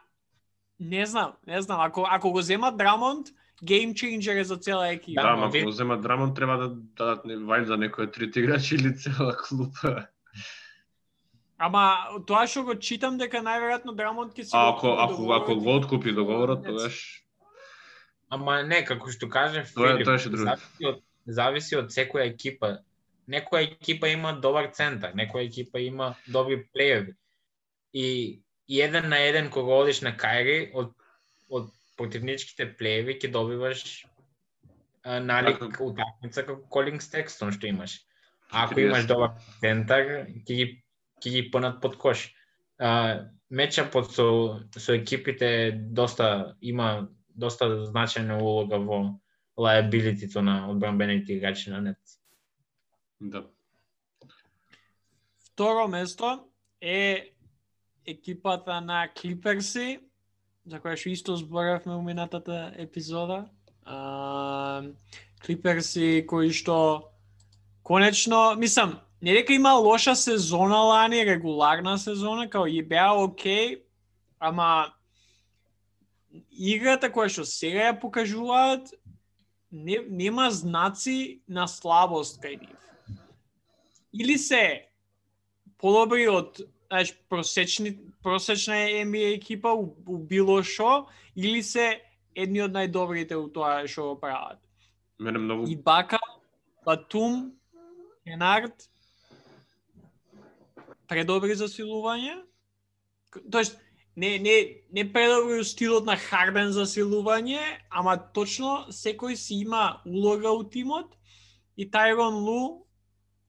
не знам, не знам, ако ако го зема Драмонд, game changer е за цела екипа. Да, ама ако го зема Драмонд треба да дадат вајда некој трет играч или цела клупа. Ама тоа што го читам дека најверојатно Драмонд ќе се А ако ако ако го откупи договорот, тогаш ама не, како што каже тоа Филип, тоа е друго. зависи од зависи од секоја екипа. Некоја екипа има добар центар, некоја екипа има добри плееви. И, и еден на еден кога одиш на Кайри од од противничките плееви ќе добиваш а, налик Ако... утакмица како Колин Стекстон што имаш. А ако триесет. имаш добар центар, ќе ги ќе ги пнат под кош. А, мечапот со со екипите доста има доста значајна улога во liability-то на одбранбените играчи на Нетс. Да. Второ место е екипата на Клиперси, за која што исто зборавме во минатата епизода. А, Клиперси кои што конечно, мислам, не дека има лоша сезона лани, регуларна сезона, као и беа окей, ама играта која што сега ја покажуваат не, нема знаци на слабост кај нив. Или се подобри од знаеш, просечни, просечна Н Б А екипа у, у било шо, или се едни од најдобрите у тоа што го прават. Мене многу И Бака, Батум, Кенард, предобри засилување. Тоест, не, не, не предобри стилот на Харден засилување, ама точно секој си има улога у тимот и Тайрон Лу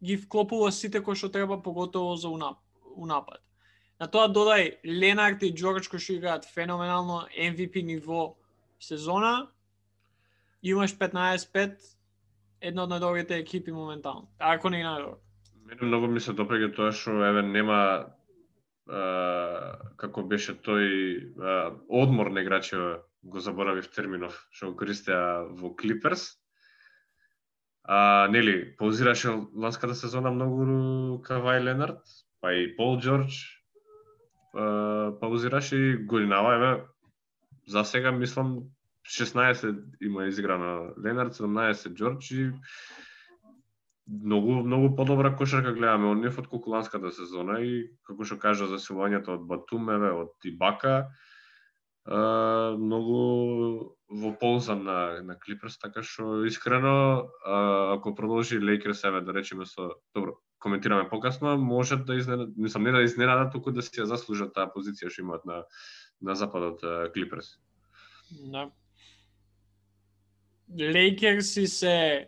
ги вклопува сите кои што треба, поготово за унап, унапад. На тоа додај Ленард и Джордж кои што играат феноменално Ем Ви Пи ниво сезона. Имаш петнаесет пет, една од најдобрите екипи моментално. Ако не и најдобро. Мене многу ми се допаѓа тоа што еве нема а, како беше тој а, одмор на играчи, го заборавив терминов, што го користеа во Клиперс. А, нели, паузираше ланската сезона многу Кавај Ленард, па и Пол Джордж а, паузираше и годинава, еве, за сега мислам шеснаесет има изиграно Ленард, седумнаесет Джордж и многу многу подобра кошарка гледаме од нив од колку ланската сезона и како што кажа за силувањето од Батум, еве, од Ибака, а, многу во полза на на Клиперс, така што искрено а, ако продолжи Лейкерс, еве да речеме со добро, коментираме покасно, може да изненада, мислам не да изненада, туку да си ја заслужат таа позиција што имаат на на западот Клиперс. Да. Лейкерси се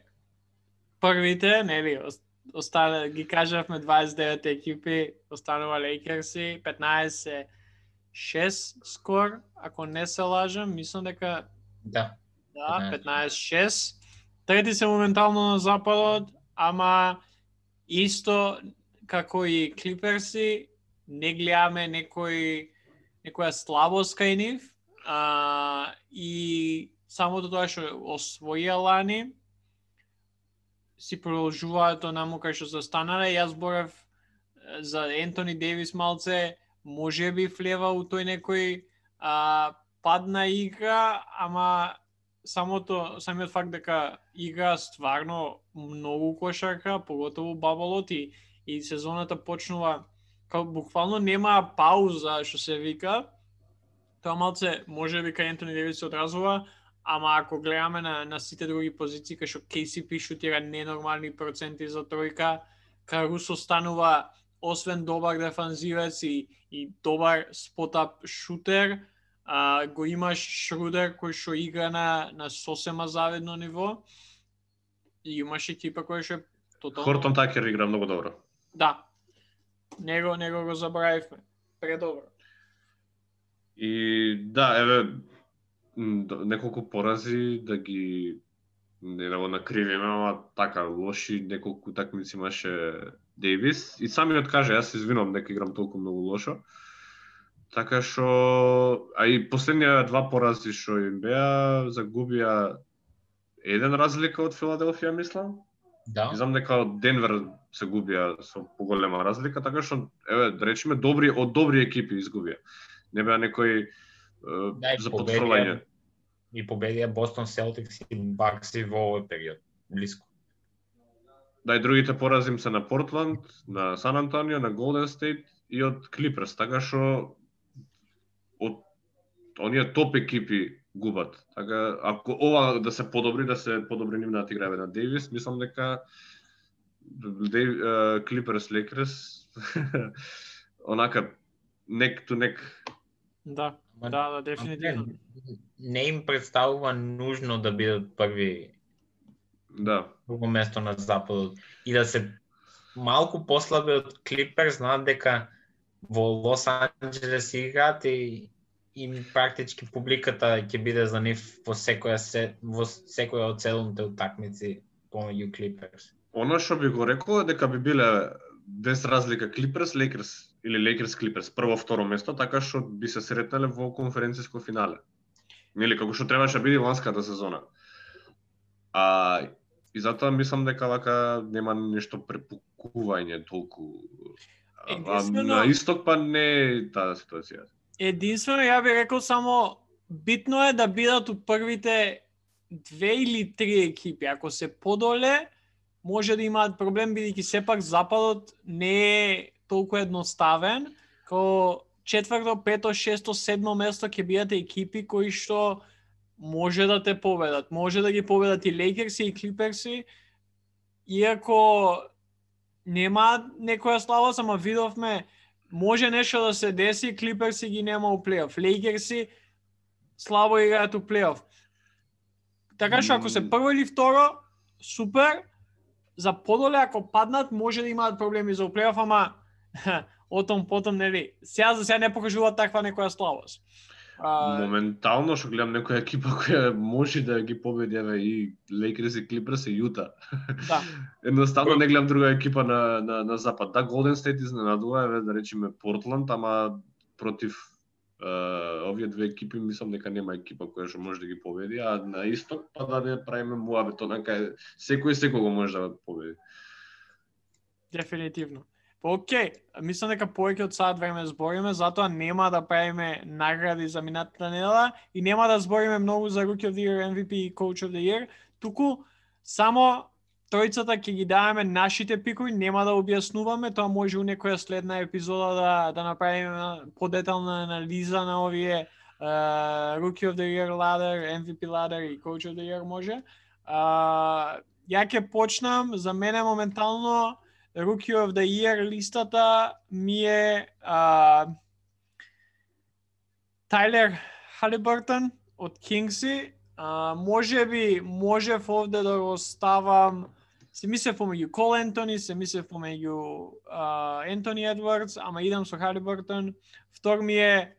првите, нели, остана, ги кажавме дваесет и девет екипи, останува Лейкерси, петнаесет шест скор, ако не се лажам, мислам дека Да. да, петнаесет шест. Трети се моментално на западот, ама исто како и Клиперси, не гледаме некој некоја слабост кај нив, а, и самото тоа што освоија лани си продолжуваат онаму кај што застанале. Јас зборев за Ентони Дейвис малце, може би влева у тој некој а, падна игра, ама самото самиот факт дека игра стварно многу кошарка, поготово баболот и, и сезоната почнува као буквално нема пауза што се вика. Тоа малце може би кај Ентони Дейвис се одразува, ама ако гледаме на, на сите други позиции, кај што Кей Си Пи шутира ненормални проценти за тројка, Карусо станува освен добар дефанзивец и, и добар спотап шутер, а, го имаш Шрудер кој што игра на, на сосема завидно ниво и имаш екипа која што е тотално... Хортон Такер игра многу добро. Да, него, него го забравивме, предобро. И да, еве, неколку порази да ги не да го накривиме, ама така лоши неколку такмици имаше Дейвис и самиот каже, јас се извинувам дека играм толку многу лошо. Така што, а и последнија два порази што им беа, загубија еден разлика од Филаделфија, мислам. Да. И знам дека од Денвер се губија со поголема разлика, така што еве да речеме добри од добри екипи изгубија. Не беа некои да, за потврдување. И победија Бостон Селтикс и Бакси во овој период, блиско. Да, и другите порази им се на Портланд, на Сан Антонио, на Голден Стейт и од Клиперс, така што од оние топ екипи губат. Така, ако ова да се подобри, да се подобри нивната игра на Дейвис, мислам дека Клиперс Лейкерс онака neck to neck. Да, да, да, дефинитивно. Не, не им представува нужно да бидат први. Да. Друго место на западот и да се малку послаби од Клиперс, знаат дека во Лос Анџелес играат и и практички публиката ќе биде за нив во секоја се, во секоја од седумте утакмици помеѓу Клиперс. Оно што би го рекол е дека би биле без разлика Клиперс, Лейкерс или Лейкерс Клиперс прво второ место, така што би се сретнале во конференциско финале. Нели како што требаше да биде ланската сезона. А и затоа мислам дека вака нема нешто препукување толку. А на исток па не е таа ситуација. Единствено ја би рекол само битно е да бидат у првите две или три екипи. Ако се подоле, може да имаат проблем, бидејќи сепак западот не е толку едноставен, како четврто, пето, шесто, седмо место ќе бидат екипи кои што може да те победат. Може да ги победат и Лейкерси и Клиперси, иако нема некоја слабост, ама видовме може нешто да се деси, Клиперси ги нема у плейоф. Лейкерси слабо играат у плейоф. Така што ако се прво или второ, супер. За подоле ако паднат, може да имаат проблеми за у плейоф, ама Отом потом нели. Сега за сега не покажува таква некоја слабост. А... Моментално што гледам некоја екипа која може да ги победи, еве и Лейкерс и Клиперс и Јута. Да. Едноставно не гледам друга екипа на на на запад. Да, Голден Стейт изненадува, еве да речеме Портланд, ама против uh, овие две екипи мислам дека нема екипа која што може да ги победи, а на исток па да не правиме муабет, онака секој секого може да победи. Дефинитивно. Па окей, мислам дека повеќе од сат време збориме, затоа нема да правиме награди за минатата недела и нема да збориме многу за Rookie of the Year, М В Пи и Coach of the Year, туку само тројцата ќе ги даваме нашите пикови, нема да објаснуваме, тоа може у некоја следна епизода да да направиме подетална анализа на овие uh, Rookie of the Year ladder, М В Пи ladder и Coach of the Year може. Uh, ја ќе почнам, за мене моментално Rookie of the Year листата ми е uh, Тайлер Халибъртън од Кингси. Uh, може би можев овде да го ставам, се мислев помеѓу Кол Ентони, се мислев помеѓу Ентони Едвардс, ама идам со Халибъртън. Втор ми е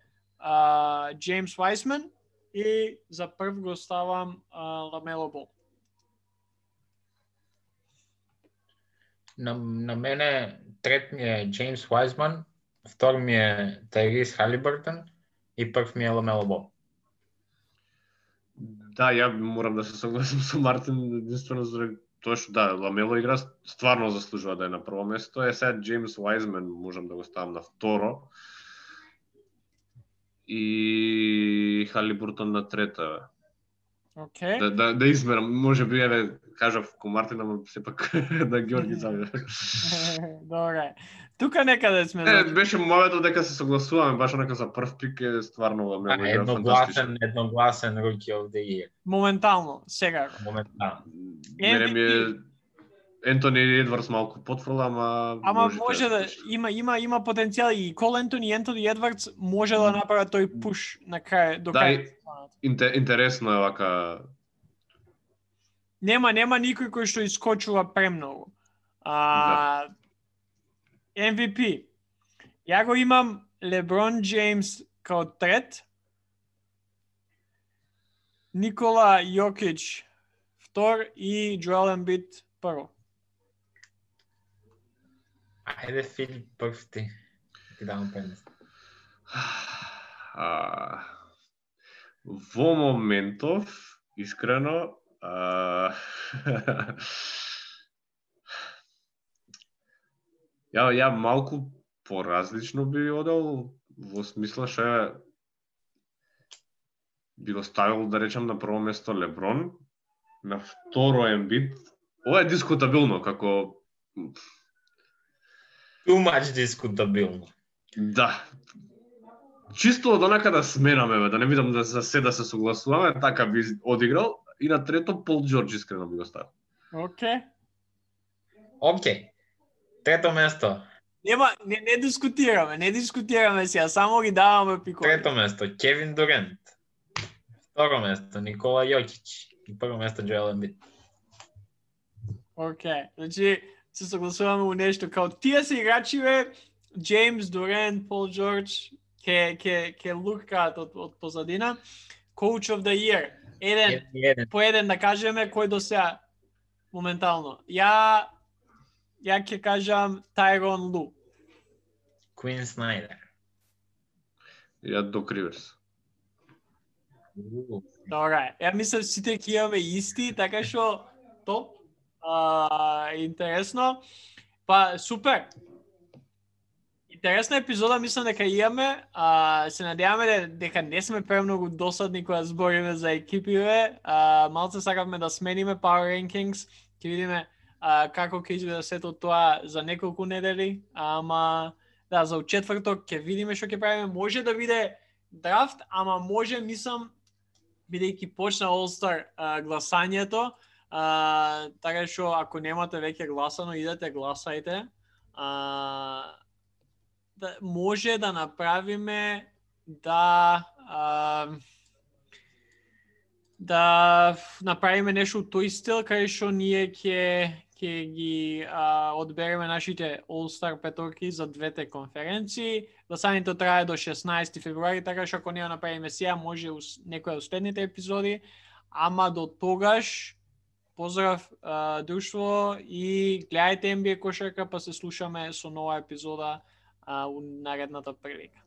Джеймс Вайсман и за прв го ставам Ламело Бол. На, на мене трет ми е Джеймс Вайсман, втор ми е Тайрис Халибъртън и прв ми е Ламело Бол. Да, ја морам да се согласам со Мартин, единствено за тоа што да, Ламело игра стварно заслужува да е на прво место. Е сега Джеймс Вайсман можам да го ставам на второ. И Халибъртън на трета. Okay. Да, да, да измерам, може би еве кажав ко Мартин, ама сепак да Георги заве. Добре. Тука некаде сме. Е, беше моето дека се согласуваме, баш онака за прв пик е стварно Ламело игра фантастичен. Едногласен Rookie of the Year. Моментално, сега. Моментално. Мене ми е Ентони Едвардс малку потфрла, ама Ама може, може да има има има потенцијал и Кол Ентони и Ентони Едвардс може да направат тој пуш на крај до крај. Да, интересно е вака. Нема нема никој кој што искочува премногу. А да. М В Пи. Ја го имам Леброн Джеймс као трет. Никола Јокич втор и Джоел Ембид прво. Ајде, Филип, прв ти. Ти давам предност. Во моментов, искрено, а... ја, ја малку поразлично би одел, во смисла што би го ставил, да речем, на прво место Леброн, на второ Ембид. Ова е дискутабилно, како... Too much дискутабилно. Да. Чисто од онака да сменаме, да не видам да за се да се согласуваме, така би одиграл. И на трето Пол Джордж искрено би го ставил. Окей. Окей. Трето место. Нема, не, не дискутираме, не дискутираме сега, само ги даваме пикови. Трето место Кевин Дурент. Второ место Никола Јокич. И прво место Джоел Ембид. Окей, значи се согласуваме у нешто као тие се играчиве, Джеймс Дурент, Пол Джордж, ке ке ке лукаат од од позадина. Coach of the Year. Еден, еден. По еден да кажеме кој до сега моментално. Ја ја ќе кажам Тайрон Лу. Квин Снайдер. Ја Док Риверс. Добре, ја мислам сите ќе имаме исти, така што топ. А, интересно. Па супер. Интересна епизода, мислам дека имаме. А, се надеваме дека не сме премногу досадни кога збориме за екипиве. А, малце сакавме да смениме Power Rankings. Ќе видиме а, како ќе изгледа сето тоа за неколку недели. Ама да, за четврток ќе видиме што ќе правиме. Може да биде драфт, ама може, мислам, бидејќи почна All-Star а, гласањето, а, така што ако немате веќе гласано, идете гласајте. А, да, може да направиме да а, да направиме нешто тој стил, кај што ние ќе ќе ги а, одбереме нашите All-Star петорки за двете конференции. Гласањето трае до шеснаесети февруари, така што ако не го направиме сега, може ус, некоја од следните епизоди, ама до тогаш поздрав а, друштво и гледајте Н Б А кошарка, па се слушаме со нова епизода а, у наредната прилика.